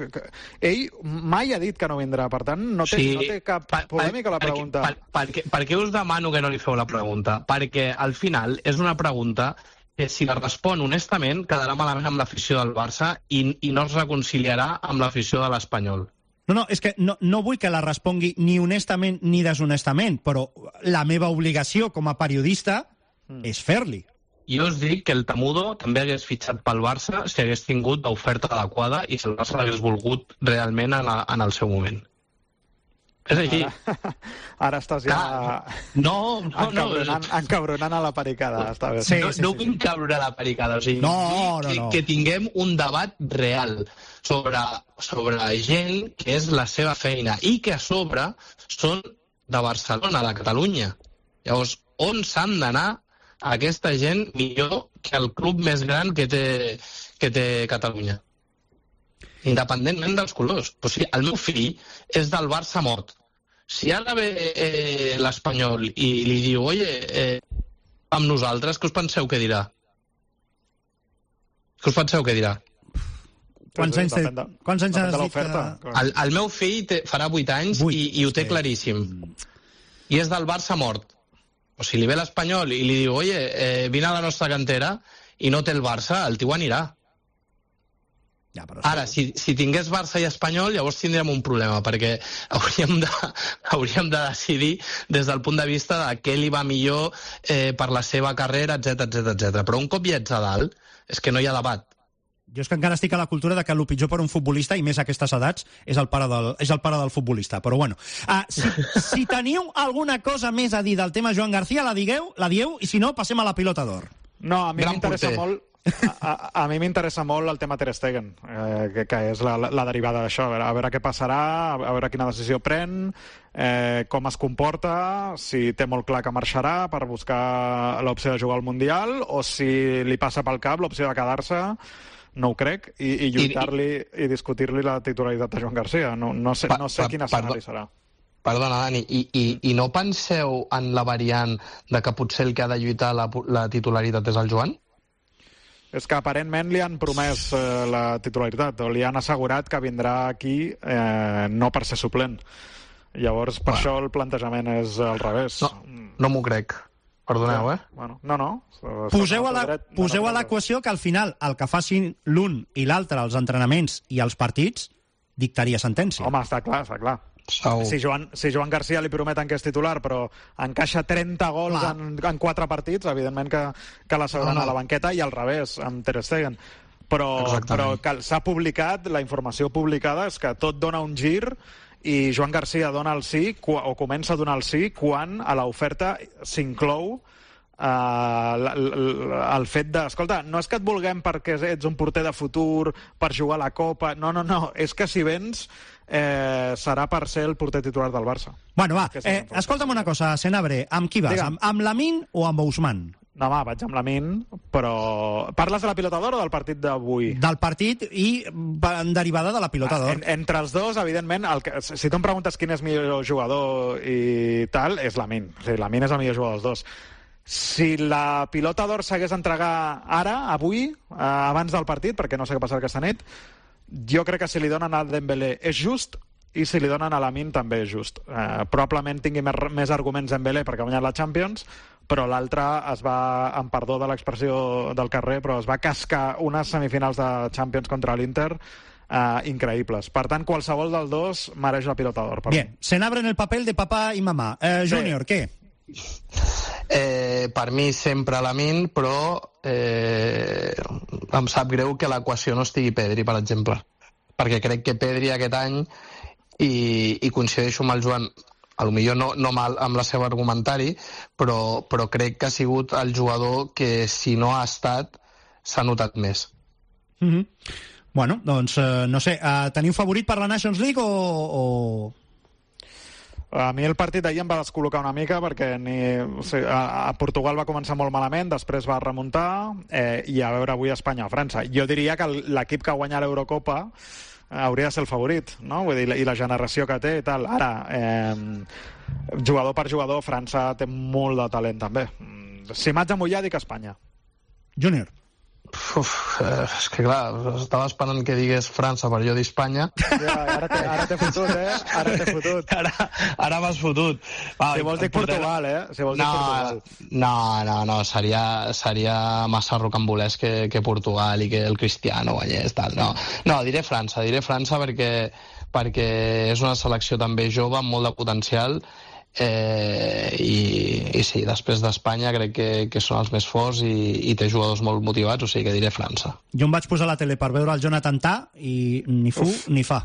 ell mai ha dit que no vindrà, per tant no té cap polèmica la pregunta. Per què us demano que no li feu la pregunta? Perquè al final és una pregunta que si la respon honestament quedarà malament amb l'afició del Barça i no es reconciliarà amb l'afició de l'Espanyol. No, és que no vull que la respongui ni honestament ni deshonestament, però la meva obligació com a periodista és fer-li. Jo us dic que el Temudo també hagués fitxat pel Barça si hagués tingut l'oferta adequada i si el Barça l'hagués volgut realment en el seu moment. És així. Ara estàs ja encabronant a la pericada. No vull encabronar la pericada. O sigui, que tinguem un debat real sobre gent que és la seva feina i que a sobre són de Barcelona, de Catalunya. Llavors, on s'han d'anar aquesta gent millor que el club més gran que té Catalunya? Independentment dels colors. O sigui, el meu fill és del Barça mort. Si ara ve l'Espanyol i li diu, oye, amb nosaltres, què us penseu que dirà? Què us penseu que dirà? Quants anys has dit que... El meu fill farà 8 anys i ho té claríssim. I és del Barça mort. O si li ve l'Espanyol i li diu, oye, vine a la nostra cantera i no té el Barça, el tio anirà. Ara, si tingués Barça i Espanyol, llavors tindríem un problema, perquè hauríem de decidir des del punt de vista de què li va millor per la seva carrera, etc. Però un cop ja ets a dalt, és que no hi ha debat. Jo és que encara estic a la cultura de que el pitjor per un futbolista, i més a aquestes edats, és el pare del futbolista. Però bueno, si teniu alguna cosa més a dir del tema Joan García, la dieu, i si no, passem a la pilota d'or. No, a mi m'interessa molt... A mi m'interessa molt el tema Ter Stegen, que és la derivada d'això. A veure què passarà, a veure quina decisió pren, com es comporta, si té molt clar que marxarà per buscar l'opció de jugar al Mundial, o si li passa pel cap l'opció de quedar-se, no ho crec, i lluitar-li i discutir-li la titularitat de Joan García. No sé quin escenari serà. Perdona, Dani, i no penseu en la variant de que potser el que ha de lluitar la titularitat és el Joan? És que aparentment li han promès la titularitat, o li han assegurat que vindrà aquí no per ser suplent. Llavors, per això el plantejament és al revés. No m'ho crec. Perdoneu, Bueno, no. Poseu a l'equació que al final el que facin l'un i l'altre, els entrenaments i els partits, dictaria sentència. Home, està clar. Si Joan García li prometen que és titular, però encaixa 30 gols en 4 partits, evidentment que l'asseuran a la banqueta, i al revés, amb Ter Stegen. Però s'ha publicat, la informació publicada és que tot dona un gir i Joan García dona el sí, o comença a donar el sí, quan a l'oferta s'inclou el fet de... Escolta, no és que et vulguem perquè ets un porter de futur, per jugar a la Copa... No, és que si vens serà per ser el porter titular del Barça. Bueno, va, escolta'm una cosa, Senabre, amb qui vas? Amb Lamine o amb Ousmane? No, va, vaig amb Lamine, però... Parles de la pilota d'or o del partit d'avui? Del partit i en derivada de la pilota d'or. Entre els dos, evidentment, si tu em preguntes quin és millor jugador i tal, és Lamine. O sigui, Lamine és el millor jugador dels dos. Si la pilota d'or s'hagués d'entregar ara, avui, abans del partit, perquè no sé què passarà aquesta nit, jo crec que si li donen a Dembélé és just, i si li donen a Lamine també és just. Probablement tingui més arguments Dembélé perquè ha guanyat la Champions, però l'altre es va, en perdó de l'expressió del carrer, però es va cascar unes semifinals de Champions contra l'Inter increïbles. Per tant, qualsevol dels dos mereix la pilota d'or. Bien, Senabre en el paper de papà i mamà. Júnior, què? Per mi sempre Lamine, però em sap greu que l'equació no estigui Pedri, per exemple, perquè crec que Pedri aquest any, i coincideixo amb el Joan, potser no mal amb la seva argumentari, però crec que ha sigut el jugador que, si no ha estat, s'ha notat més. Bueno, doncs no sé, teniu favorit per la Nations League o... A mi el partit d'ahir em va descol·locar una mica perquè a Portugal va començar molt malament, després va remuntar, i a veure avui Espanya o França. Jo diria que l'equip que guanya l'Eurocopa hauria de ser el favorit, no? Vull dir, i la generació que té i tal. Ara, jugador per jugador, França té molt de talent també. Si m'haig de mullar, dic Espanya. Júnior. És que clar, estava esperant que digués França per jo dir Espanya. Ara t'he fotut, Ara t'he fotut. Ara m'has fotut. Si vols dir Portugal, Si vols dir Portugal. No, seria massa rocambolès que Portugal i que el Cristiano guanyés, tal. No, diré França perquè és una selecció també jove amb molt de potencial, i sí, després d'Espanya crec que són els més forts i té jugadors molt motivats, o sigui que diré França. Jo em vaig posar a la tele per veure el Jonathan Tah i ni fu ni fa.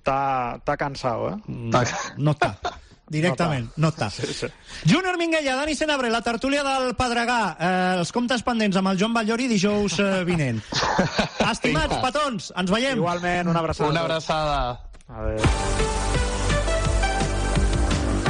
T'ha cansat, No està. Directament, no està. Sí. Júnior Minguella, Dani Senabre, la tertúlia del Pedregà, els comptes pendents amb el Joan Batllori dijous vinent. Estimats petons, ens veiem. Igualment, una abraçada. Una abraçada. Adéu.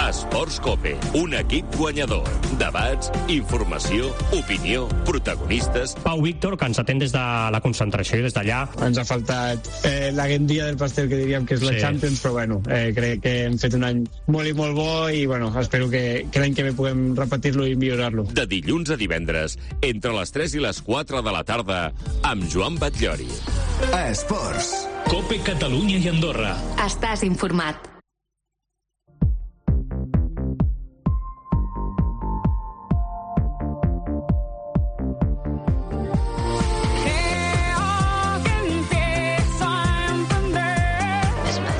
Esports Cope, un equip guanyador. Debats, informació, opinió, protagonistes... Pau Víctor, que ens atén des de la concentració i des d'allà. Ens ha faltat la guendia del pastel, que diríem que és la Champions, però bueno, crec que hem fet un any molt i molt bo i bueno, espero que l'any que ve puguem repetir-lo i millorar-lo. De dilluns a divendres, entre les 3 i les 4 de la tarda, amb Joan Batllori. Esports. Cope Catalunya i Andorra. Estàs informat.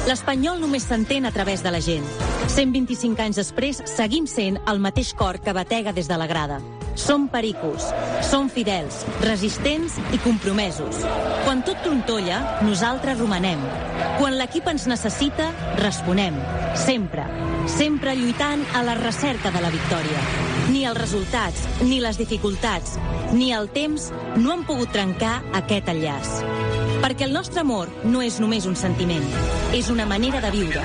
L'Espanyol només s'entén a través de la gent. 125 anys després, seguim sent el mateix cor que batega des de la grada. Som pericos, som fidels, resistents i compromesos. Quan tot trontolla, nosaltres romanem. Quan l'equip ens necessita, responem. Sempre, sempre lluitant a la recerca de la victòria. Ni els resultats, ni les dificultats, ni el temps no han pogut trencar aquest enllaç. Perquè el nostre amor no és només un sentiment, és una manera de viure,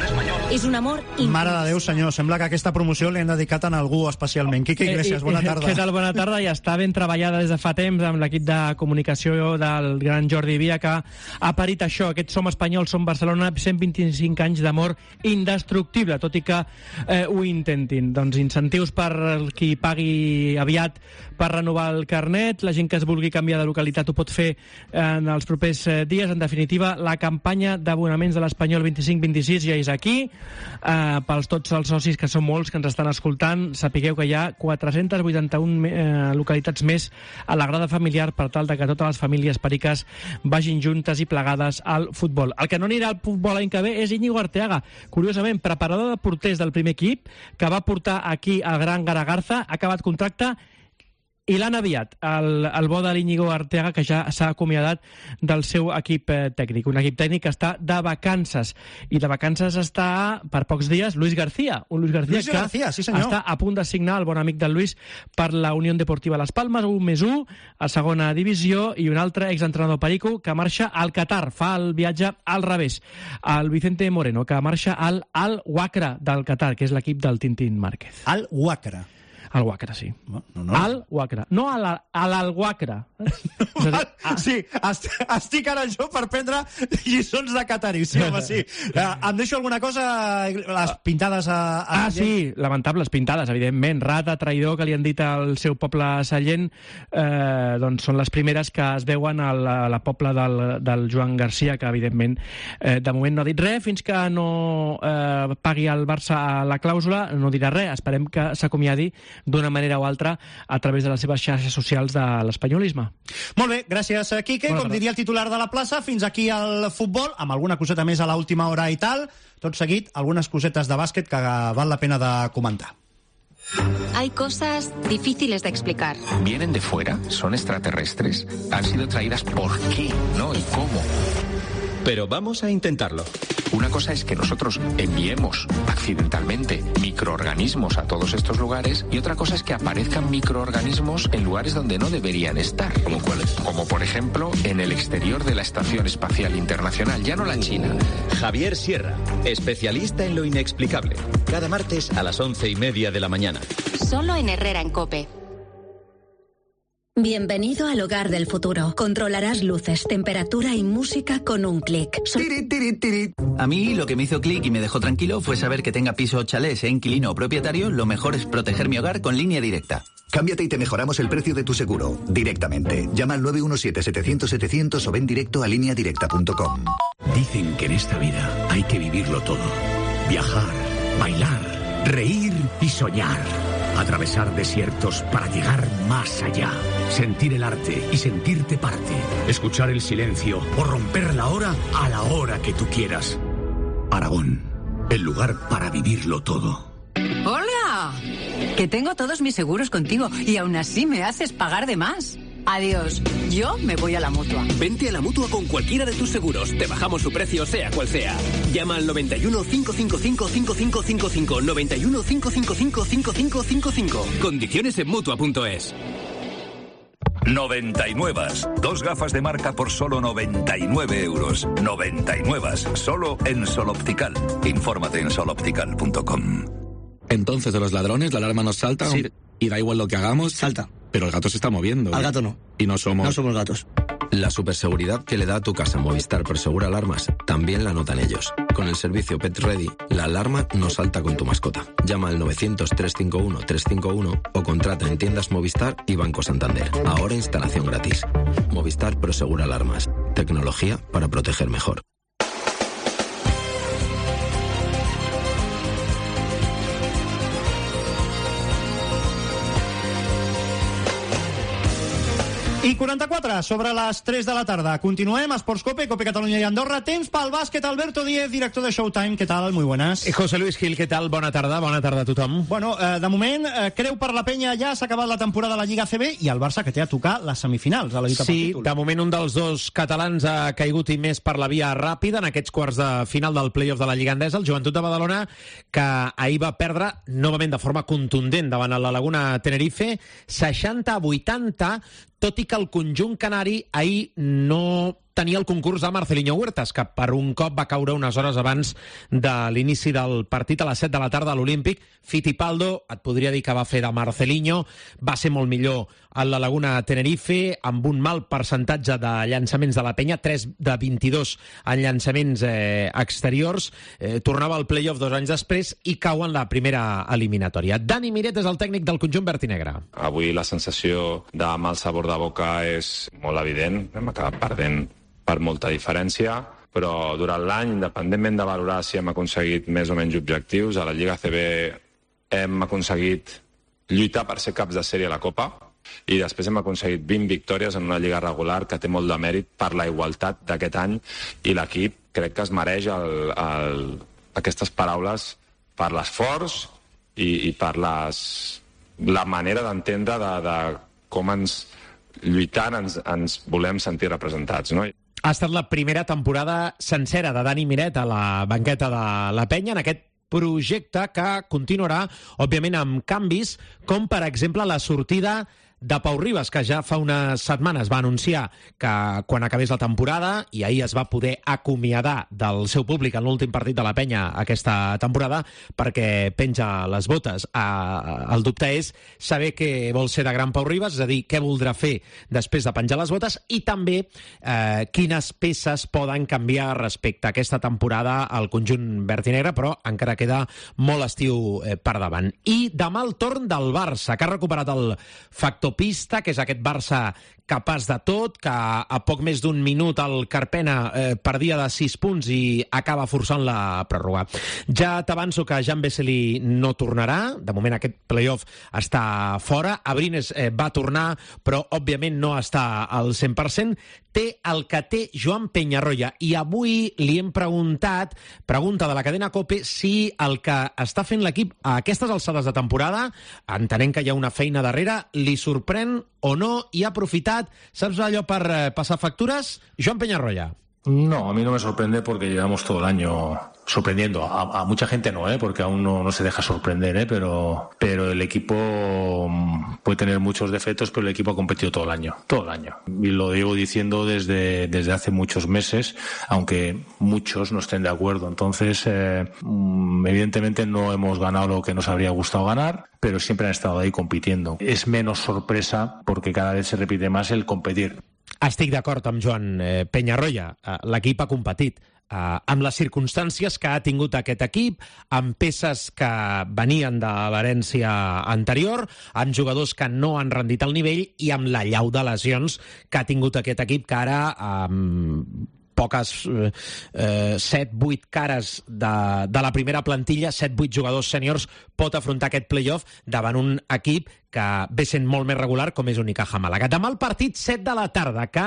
és un amor íntim. Mare de Déu, senyor, sembla que aquesta promoció l'hem dedicat a algú especialment. Quique Iglesias, bona tarda. Què tal? Bona tarda. Ja està ben treballada des de fa temps amb l'equip de comunicació del gran Jordi Via, que ha parit això, aquest Som Espanyol, Som Barcelona, 125 anys d'amor indestructible, tot i que ho intentin. Doncs incentius per qui pagui aviat per renovar el carnet, la gent que es vulgui canviar de localitat ho pot fer en els propers dies. En definitiva, la campanya d'abonaments de l'Espanyol 25-26 ja és aquí. Pels tots els socis, que són molts, que ens estan escoltant, sapigueu que hi ha 481 localitats més a la grada familiar per tal de que totes les famílies periques vagin juntes i plegades al futbol. El que no anirà al futbol l'any que ve és Íñigo Arteaga. Curiosament, preparador de porters del primer equip, que va portar aquí el gran Garagarza, ha acabat contracte i l'han aviat, el bo de l'Íñigo Arteaga, que ja s'ha acomiadat del seu equip tècnic. Un equip tècnic que està de vacances. I de vacances està, per pocs dies, Luis García. Un Luis García sí, senyor, està a punt de signar, el bon amic del Luis, per la Unió Deportiva Las Palmas, 1+1, a segona divisió, i un altre exentrenador perico que marxa al Qatar. Fa el viatge al revés. El Vicente Moreno, que marxa al Al-Wakra del Qatar, que és l'equip del Tintín Márquez. Al-Wakra. Al-Wakra, sí. No. Al-Wakra. No a l'Al-Wakra. Sí, estic ara jo per prendre lliçons de catarí. Sí, home, sí. Em deixo alguna cosa? Les pintades a sí, lamentables pintades, evidentment. Rata, traïdor, que li han dit al seu poble Sallent, doncs són les primeres que es veuen a la pobla del Joan Garcia, que evidentment de moment no ha dit res, fins que no pagui el Barça la clàusula, no dirà res. Esperem que s'acomiadi d'una manera o altra a través de les seves xarxes socials de l'espanyolisme. Molt bé, gràcies, Quique. Com diria el titular de la plaça, fins aquí el futbol, amb alguna coseta més a l'última hora i tal. Tot seguit, algunes cosetes de bàsquet que val la pena de comentar. Hay cosas difíciles de explicar. ¿Vienen de fuera? ¿Son extraterrestres? ¿Han sido traídas por qué? ¿No? ¿Y cómo? Pero vamos a intentarlo. Una cosa es que nosotros enviemos accidentalmente microorganismos a todos estos lugares y otra cosa es que aparezcan microorganismos en lugares donde no deberían estar. ¿Como cuáles? Como por ejemplo en el exterior de la Estación Espacial Internacional, ya no la China. Javier Sierra, especialista en lo inexplicable. Cada martes a las 11:30 de la mañana. Solo en Herrera en COPE. Bienvenido al hogar del futuro. Controlarás luces, temperatura y música con un clic. A mí lo que me hizo clic y me dejó tranquilo fue saber que tenga piso o chalet, sea inquilino o propietario, lo mejor es proteger mi hogar con Línea Directa. Cámbiate y te mejoramos el precio de tu seguro, directamente. Llama al 917-700-700 o ven directo a lineadirecta.com. Dicen que en esta vida hay que vivirlo todo. Viajar, bailar, reír y soñar. Atravesar desiertos para llegar más allá. Sentir el arte y sentirte parte. Escuchar el silencio o romper la hora a la hora que tú quieras. Aragón, el lugar para vivirlo todo. ¡Hola! Que tengo todos mis seguros contigo y aún así me haces pagar de más. Adiós, yo me voy a la Mutua. Vente a la Mutua con cualquiera de tus seguros. Te bajamos su precio, sea cual sea. Llama al 91 555 5555. 91 555 5555. Condiciones en Mutua.es. 99. Dos gafas de marca por solo 99 euros. 99. Solo en Sol Optical. Infórmate en soloptical.com. Entonces, de los ladrones, la alarma nos salta. Sí. Y da igual lo que hagamos. Salta. Pero el gato se está moviendo. Al gato no. Y no somos gatos. La superseguridad que le da a tu casa Movistar Prosegur Alarmas también la notan ellos. Con el servicio Pet Ready, la alarma no salta con tu mascota. Llama al 900-351-351 o contrata en tiendas Movistar y Banco Santander. Ahora instalación gratis. Movistar Prosegur Alarmas. Tecnología para proteger mejor. I 44 sobre les 3 de la tarda. Continuem, Esports Cope, Cope Catalunya i Andorra. Temps pel bàsquet, Alberto Díez, director de Showtime. ¿Qué tal? Muy buenas. José Luis Gil, ¿qué tal? Bona tarda a tothom. Bueno, de moment, creu per la penya ja s'ha acabat la temporada de la Lliga ACB i el Barça que té a tocar les semifinals a la lluita pel títol. Sí, de moment un dels dos catalans ha caigut i més per la via ràpida en aquests quarts de final del play-off de la Lliga Endesa, el Joventut de Badalona, que ahir va perdre novament de forma contundent davant la Laguna Tenerife, 60-80, tot i que el conjunt canari ahir no tenia el concurs de Marcelinho Huertas, que per un cop va caure unes hores abans de l'inici del partit a les 7 de la tarda a l'Olímpic. Fittipaldo, et podria dir que va fer de Marcelinho, va ser molt millor a la Laguna Tenerife, amb un mal percentatge de llançaments de la penya, 3 de 22 en llançaments exteriors. Tornava al play-off 2 anys després i cau en la primera eliminatòria. Dani Miret és el tècnic del conjunt vertinegre. Avui la sensació de mal sabor de boca és molt evident. Hem acabat perdent per molta diferència, però durant l'any, independentment de valorar si hem aconseguit més o menys objectius, a la Lliga ACB hem aconseguit lluitar per ser caps de sèrie a la Copa i després hem aconseguit 20 victòries en una Lliga regular que té molt de mèrit per la igualtat d'aquest any i l'equip crec que es mereix aquestes paraules per l'esforç i per la manera d'entendre de com lluitant ens volem sentir representats, no? Ha estat la primera temporada sencera de Dani Miret a la banqueta de la penya en aquest projecte que continuarà, òbviament, amb canvis, com per exemple la sortida de Pau Ribas, que ja fa unes setmanes va anunciar que quan acabés la temporada, i ahir es va poder acomiadar del seu públic en l'últim partit de la penya aquesta temporada, perquè penja les botes. El dubte és saber què vol ser de gran Pau Ribas, és a dir, què voldrà fer després de penjar les botes, i també quines peces poden canviar respecte a aquesta temporada al conjunt vertinegre, però encara queda molt estiu per davant. I demà el torn del Barça, que ha recuperat el factor pista, que és aquest Barça capaç de tot, que a poc més d'un minut el Carpena perdia de 6 punts i acaba forçant la pròrroga. Ja t'avanço que Jan Vesely no tornarà, de moment aquest playoff està fora, Abrines va tornar, però òbviament no està al 100%, té el que té Joan Peñarroya, i avui li hem preguntat, pregunta de la cadena COPE, si el que està fent l'equip a aquestes alçades de temporada, entenent que hi ha una feina darrere, li sorprèn o no, i ha aprofitat, saps allò per passar factures? Joan Peñarroya. No, a mí no me sorprende porque llevamos todo el año sorprendiendo. A mucha gente no, porque aún no se deja sorprender, pero el equipo puede tener muchos defectos, pero el equipo ha competido todo el año. Y lo llevo diciendo desde hace muchos meses, aunque muchos no estén de acuerdo. Entonces, evidentemente no hemos ganado lo que nos habría gustado ganar, pero siempre han estado ahí compitiendo. Es menos sorpresa porque cada vez se repite más el competir. Estic d'acord amb Joan Peñarroya. L'equip ha competit amb les circumstàncies que ha tingut aquest equip, amb peces que venien de l'herència anterior, amb jugadors que no han rendit al nivell i amb la llau de lesions que ha tingut aquest equip, que ara poques 7-8 cares de la primera plantilla, 7-8 jugadors sèniors, pot afrontar aquest playoff davant un equip que ve sent molt més regular, com és Unicaja Màlaga. Demà el partit 7 de la tarda, que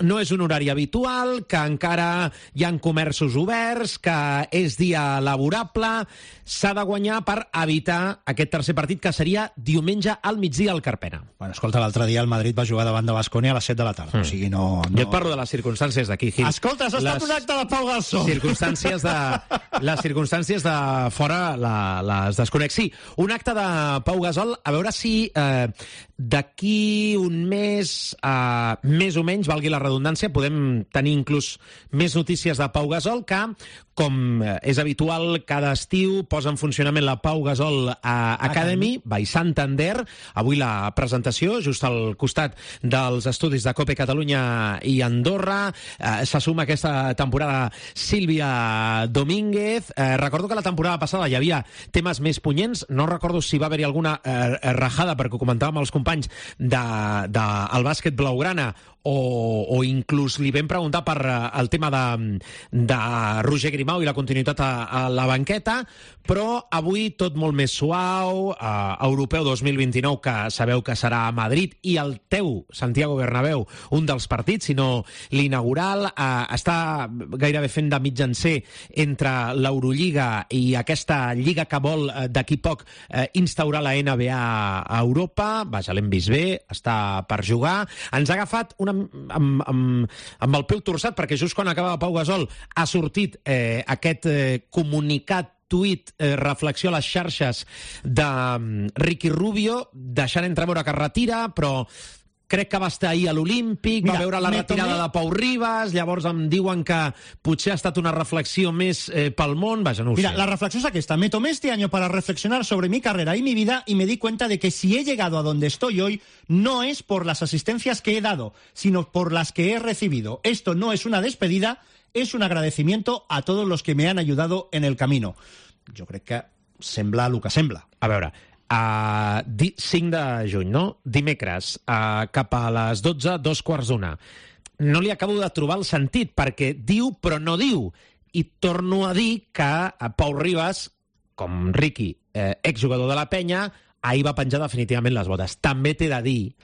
no és un horari habitual, que encara hi ha comerços oberts, que és dia laborable, s'ha de guanyar per evitar aquest tercer partit, que seria diumenge al migdia al Carpena. Bueno, escolta, l'altre dia el Madrid va jugar davant de Baskonia a les 7 de la tarda, o sigui, no... Jo et parlo de les circumstàncies d'aquí, Gil. Escolta, has estat un acte de Pau Gasol. Les circumstàncies de fora les desconec. Sí, un acte de Pau Gasol, a veure si d'aquí un mes, més o menys, valgui la redundància, podem tenir inclús més notícies de Pau Gasol, que, com és habitual, cada estiu posa en funcionament la Pau Gasol Academy, by Santander. Avui la presentació, just al costat dels estudis de COPE Catalunya i Andorra. Se suma aquesta temporada Sílvia Domínguez. Recordo que la temporada passada hi havia temes més punyents. No recordo si va haver-hi alguna rajada, perquè ho comentàvem els companys del bàsquet blaugrana, o inclús li vam preguntar per el tema de Roger Grimau i la continuïtat a la banqueta, però avui tot molt més suau, Europeu 2029, que sabeu que serà a Madrid, i el teu Santiago Bernabéu, un dels partits, sinó l'inaugural, està gairebé fent de mitjancer entre l'Eurolliga i aquesta lliga que vol d'aquí poc instaurar la NBA a Europa. Vaja, l'hem vist bé, està per jugar. Ens ha agafat amb el peu torçat, perquè just quan acaba Pau Gasol ha sortit aquest comunicat, tuit, reflexió a les xarxes de Ricky Rubio, deixant entreveure que es retira, però crec que va estar ahir a l'Olímpic, va veure la retirada de Pau Ribas, llavors em diuen que potser ha estat una reflexión més pel món, vaja, no ho sé. Mira, la reflexión es esta. Me tomé este año para reflexionar sobre mi carrera y mi vida y me di cuenta de que si he llegado a donde estoy hoy, no es por las asistencias que he dado, sino por las que he recibido. Esto no es una despedida, es un agradecimiento a todos los que me han ayudado en el camino. Jo crec que sembla el que sembla. A veure, 5 de juny, no? Dimecres, cap a les 12, 2:15. No li acabo de trobar el sentit, perquè diu però no diu. I torno a dir que Pau Ribas, com Ricky, exjugador de la Penya, ahir va penjar definitivament les botes. També t'he de dir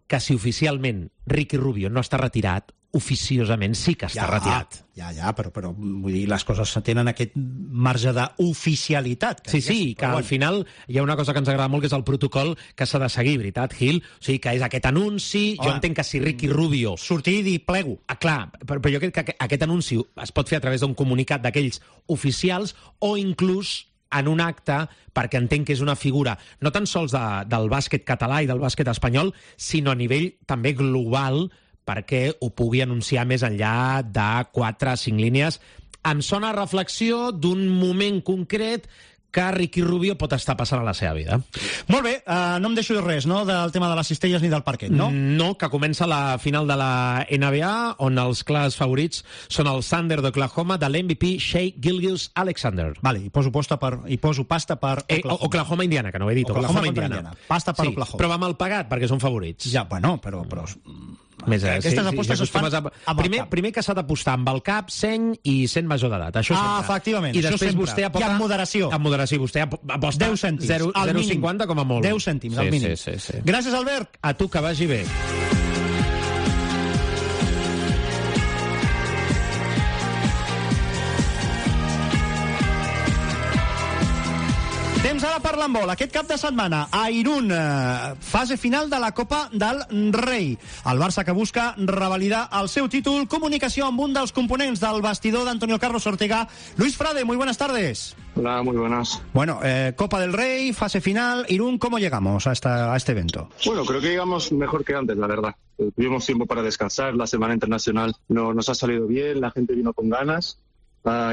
que si oficialment Ricky Rubio no està retirat, oficiosament sí que està retirat. Ja, però vull dir, les coses tenen aquest marge d'oficialitat. Sí, que al final hi ha una cosa que ens agrada molt, que és el protocol que s'ha de seguir, veritat, Gil? O sigui, que és aquest anunci, jo entenc que si Ricky Rubio... Sortir i dir plego. Clar, però jo crec que aquest anunci es pot fer a través d'un comunicat d'aquells oficials o inclús en un acte, perquè entenc que és una figura no tan sols del bàsquet català i del bàsquet espanyol, sinó a nivell també global, perquè ho pugui anunciar més enllà de 4 o 5 línies. Em sona reflexió d'un moment concret que Ricky Rubio pot estar passant a la seva vida. Molt bé, no em deixo de res, no?, del tema de les cistelles ni del parquet, no? No, que comença la final de la NBA, on els clars favorits són el Thunder d'Oklahoma, de l'MVP Shai Gilgeous-Alexander. Vale, i poso pasta per Oklahoma. Oklahoma-Indiana, que no ho he dit. Oklahoma-Indiana. Pasta per Oklahoma. Però va mal pagat, perquè són favorits. Ja, bueno, però aquestes apostes es fan primer que s'ha d'apostar amb el cap, seny i sent major d'edat. Efectivament. I després vostè aposta... I amb moderació. Amb moderació. Vostè aposta 10 cèntims. 0,50 com a molt. 10 cèntims, al mínim. Sí. Gràcies, Albert. A tu, que vagi bé. Temps ara per l'handbol. Aquest cap de setmana a Irún, fase final de la Copa del Rei. El Barça que busca revalidar el seu títol. Comunicació amb un dels components del vestidor d'Antonio Carlos Ortega. Luis Frade, muy buenas tardes. Hola, muy buenas. Bueno, Copa del Rey, fase final. Irún, ¿cómo llegamos a este evento? Bueno, creo que llegamos mejor que antes, la verdad. Tuvimos tiempo para descansar, la semana internacional nos ha salido bien, la gente vino con ganas.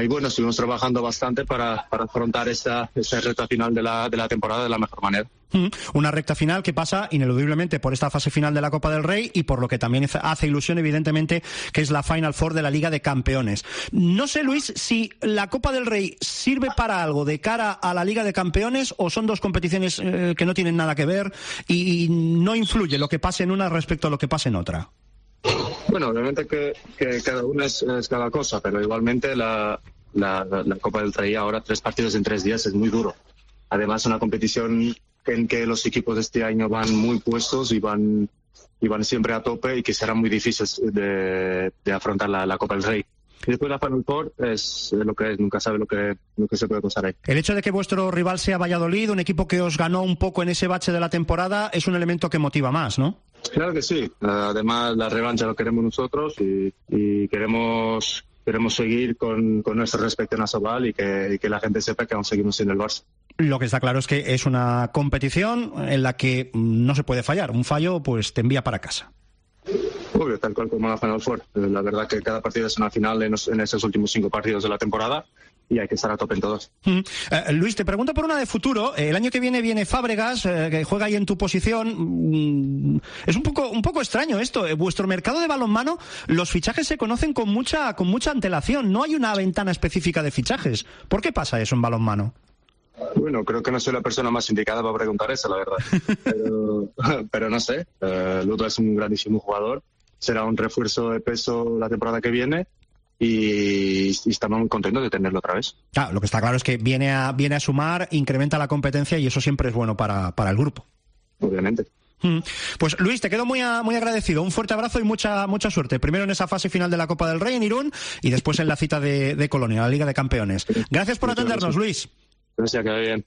Y bueno, estuvimos trabajando bastante para afrontar esta recta final de la temporada de la mejor manera. Una recta final que pasa ineludiblemente por esta fase final de la Copa del Rey y por lo que también hace ilusión, evidentemente, que es la Final Four de la Liga de Campeones. No sé, Luis, si la Copa del Rey sirve para algo de cara a la Liga de Campeones o son dos competiciones que no tienen nada que ver y no influye lo que pase en una respecto a lo que pase en otra. Bueno, obviamente que cada una es cada cosa, pero igualmente la Copa del Rey ahora 3 partidos en 3 días es muy duro. Además, una competición en que los equipos de este año van muy puestos y van siempre a tope y que será muy difícil de afrontar la Copa del Rey. Y después la Final Four es lo que es, nunca sabe lo que se puede pasar ahí. El hecho de que vuestro rival sea Valladolid, un equipo que os ganó un poco en ese bache de la temporada, es un elemento que motiva más, ¿no? Claro que sí. Además, la revancha lo queremos nosotros y queremos seguir con nuestro respeto nacional y que la gente sepa que aún seguimos siendo el Barça. Lo que está claro es que es una competición en la que no se puede fallar. Un fallo, pues te envía para casa. Obvio, tal cual como la Final Four. La verdad que cada partido es una final en esos últimos 5 partidos de la temporada y hay que estar a tope en todos. Luis, te pregunto por una de futuro. El año que viene Fábregas, que juega ahí en tu posición. Es un poco extraño esto. Vuestro mercado de balonmano, los fichajes se conocen con mucha antelación. No hay una ventana específica de fichajes. ¿Por qué pasa eso en balonmano? Bueno, creo que no soy la persona más indicada para preguntar eso, la verdad. Pero no sé. Ludo es un grandísimo jugador será un refuerzo de peso la temporada que viene y estamos muy contentos de tenerlo otra vez. Claro, lo que está claro es que viene a sumar, incrementa la competencia y eso siempre es bueno para el grupo. Obviamente. Pues Luis, te quedo muy agradecido. Un fuerte abrazo y mucha suerte. Primero en esa fase final de la Copa del Rey en Irún y después en la cita de Colonia, la Liga de Campeones. Gracias por atendernos, Luis. Gracias, que vaya bien.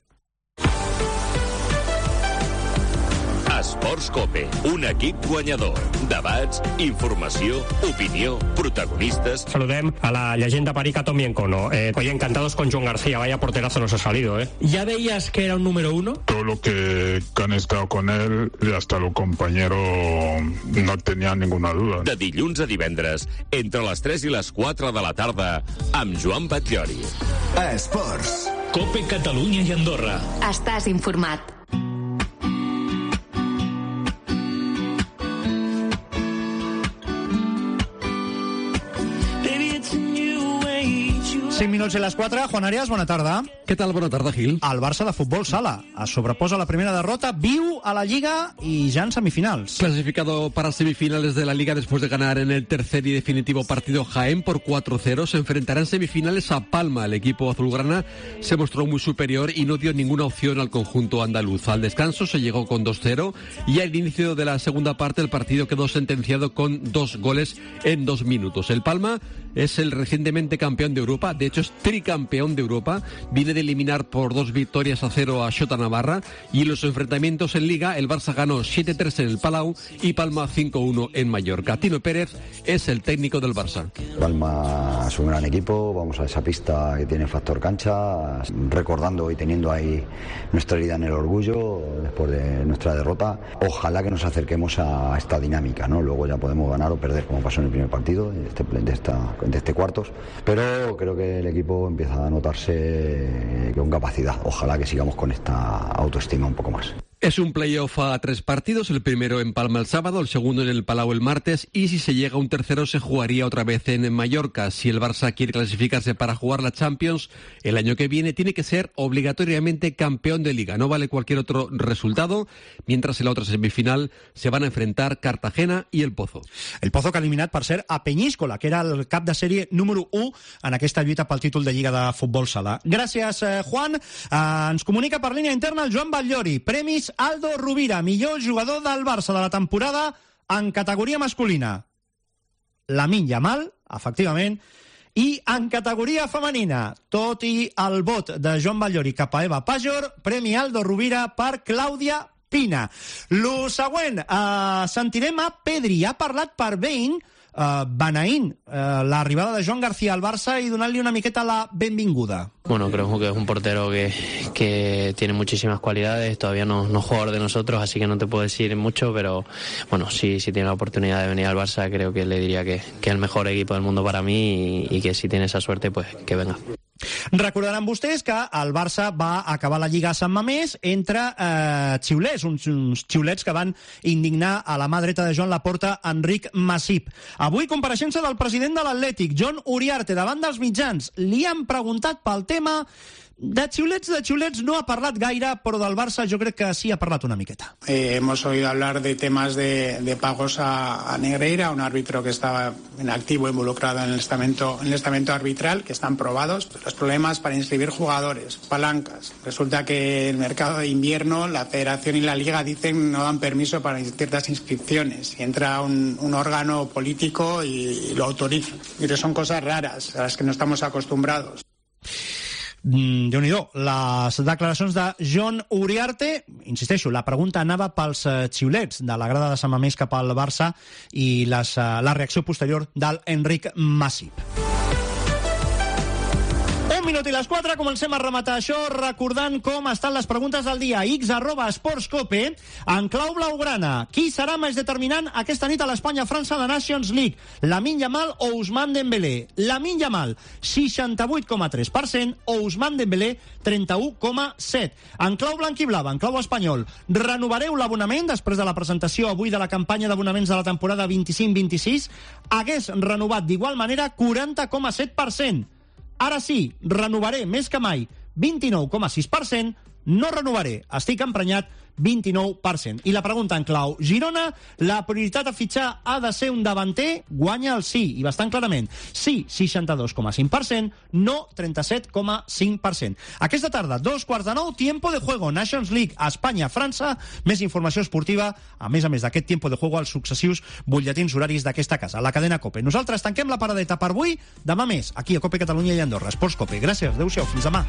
Esports Cope, un equip guanyador. Debats, informació, opinió, protagonistas... Saludem a la leyenda parica Tommy Encono. Oye, encantados con Joan García, vaya porterazo nos ha salido, ¿eh? ¿Ya veías que era un número uno? Todo lo que han estado con él y hasta los compañeros no tenían ninguna duda. De dilluns a divendres, entre les 3 i les 4 de la tarda, amb Joan Batllori. Esports. Cope Catalunya i Andorra. Estàs informat. 5 minuts i les 4. Juan Arias, bona tarda. Què tal? Bona tarda, Gil. El Barça de futbol sala es sobreposa a la primera derrota, viu a la Liga y ya en semifinals. Clasificado para semifinales de la Liga después de ganar en el tercer y definitivo partido Jaén por 4-0, se enfrentará en semifinales a Palma. El equipo azulgrana se mostró muy superior y no dio ninguna opción al conjunto andaluz. Al descanso se llegó con 2-0 y al inicio de la segunda parte el partido quedó sentenciado con 2 goles en 2 minutos. El Palma es el recientemente campeón de Europa, de hecho es tricampeón de Europa, viene de eliminar por 2-0 a Xota Navarra y en los enfrentamientos en Liga el Barça ganó 7-3 en el Palau y Palma 5-1 en Mallorca. Tino Pérez es el técnico del Barça. Palma es un gran equipo, vamos a esa pista que tiene factor cancha, recordando y teniendo ahí nuestra herida en el orgullo después de nuestra derrota. Ojalá que nos acerquemos a esta dinámica, ¿no? Luego ya podemos ganar o perder como pasó en el primer partido de este cuartos, pero creo que el equipo empieza a notarse con capacidad. Ojalá que sigamos con esta autoestima un poco más. Es un playoff a 3 partidos, el primero en Palma el sábado, el segundo en el Palau el martes y si se llega a un tercero se jugaría otra vez en Mallorca. Si el Barça quiere clasificarse para jugar la Champions el año que viene tiene que ser obligatoriamente campeón de Liga, no vale cualquier otro resultado, mientras en la otra semifinal se van a enfrentar Cartagena i el Pozo. El Pozo que ha eliminat, per cert, a Peñíscola, que era el cap de sèrie número 1 en aquesta lluita pel títol de Lliga de Futbol Sala. Gràcies, Juan. Ens comunica per línia interna el Joan Batllori. Premis Aldo Rovira, millor jugador del Barça de la temporada en categoria masculina. Lamine Yamal, efectivament, i en categoria femenina, tot i el vot de Joan Batllori cap a Eva Pajor, Premi Aldo Rovira per Clàudia Pina. Lo següent, sentirem a Pedri. Ha parlat per Bein, beneint l'arribada de Joan García al Barça y donarle una miqueta la benvinguda. Bueno, creo que es un portero que tiene muchísimas cualidades, todavía no es jugador de nosotros, así que no te puedo decir mucho, pero bueno, si tiene la oportunidad de venir al Barça, creo que le diría que es el mejor equipo del mundo para mí y que si tiene esa suerte, pues que venga. Recordaran vostès que el Barça va acabar la Lliga a Sant Mamés entre xiulets, uns xiulets que van indignar a la mà dreta de Joan Laporta, Enric Masip. Avui compareixença del president de l'Atlètic, John Uriarte, davant dels mitjans. Li han preguntat pel tema de xiulets no ha parlat gaire, però del Barça jo crec que sí ha parlat una miqueta. Hemos oído hablar de temas de pagos a Negreira, un árbitro que estaba en activo involucrado en el estamento arbitral, que están probados. Los problemas para inscribir jugadores, palancas. Resulta que el mercado de invierno, la Federación y la Liga dicen no dan permiso para ciertas inscripciones. Y entra un órgano político y lo autoriza. Pero son cosas raras a las que no estamos acostumbrados. Déu-n'hi-do, les declaracions de John Uriarte. Insisteixo, la pregunta anava pels xiulets de la grada de Sant Mamés cap al Barça i la reacció posterior del Enric Masip. 1 minut i les 4, comencem a rematar això recordant com estan les preguntes del dia. x@esportscope, en clau blaugrana. Qui serà més determinant aquesta nit a l'Espanya-França de Nations League? Lamine Yamal o Ousmane Dembélé? Lamine Yamal, 68,3%, o Ousmane Dembélé, 31,7%. En clau blanquiblava, en clau espanyol, renovareu l'abonament després de la presentació avui de la campanya d'abonaments de la temporada 25-26? Hagués renovat d'igual manera 40,7%. Ara sí, renovaré més que mai, 29,6%, no renovaré, estic emprenyat, 29%. I la pregunta en clau: Girona, la prioritat a fitxar ha de ser un davanter? Guanya el sí, i bastant clarament. Sí, 62,5%, no 37,5%. Aquesta tarda, 8:15, Tiempo de Juego, Nations League, Espanya-França. Més informació esportiva, a més d'aquest Tiempo de Juego, als successius butlletins horaris d'aquesta casa, la cadena COPE. Nosaltres tanquem la paradeta per avui. Demà més, aquí a COPE Catalunya i Andorra. Esports COPE. Gràcies, adeu-siau, fins demà.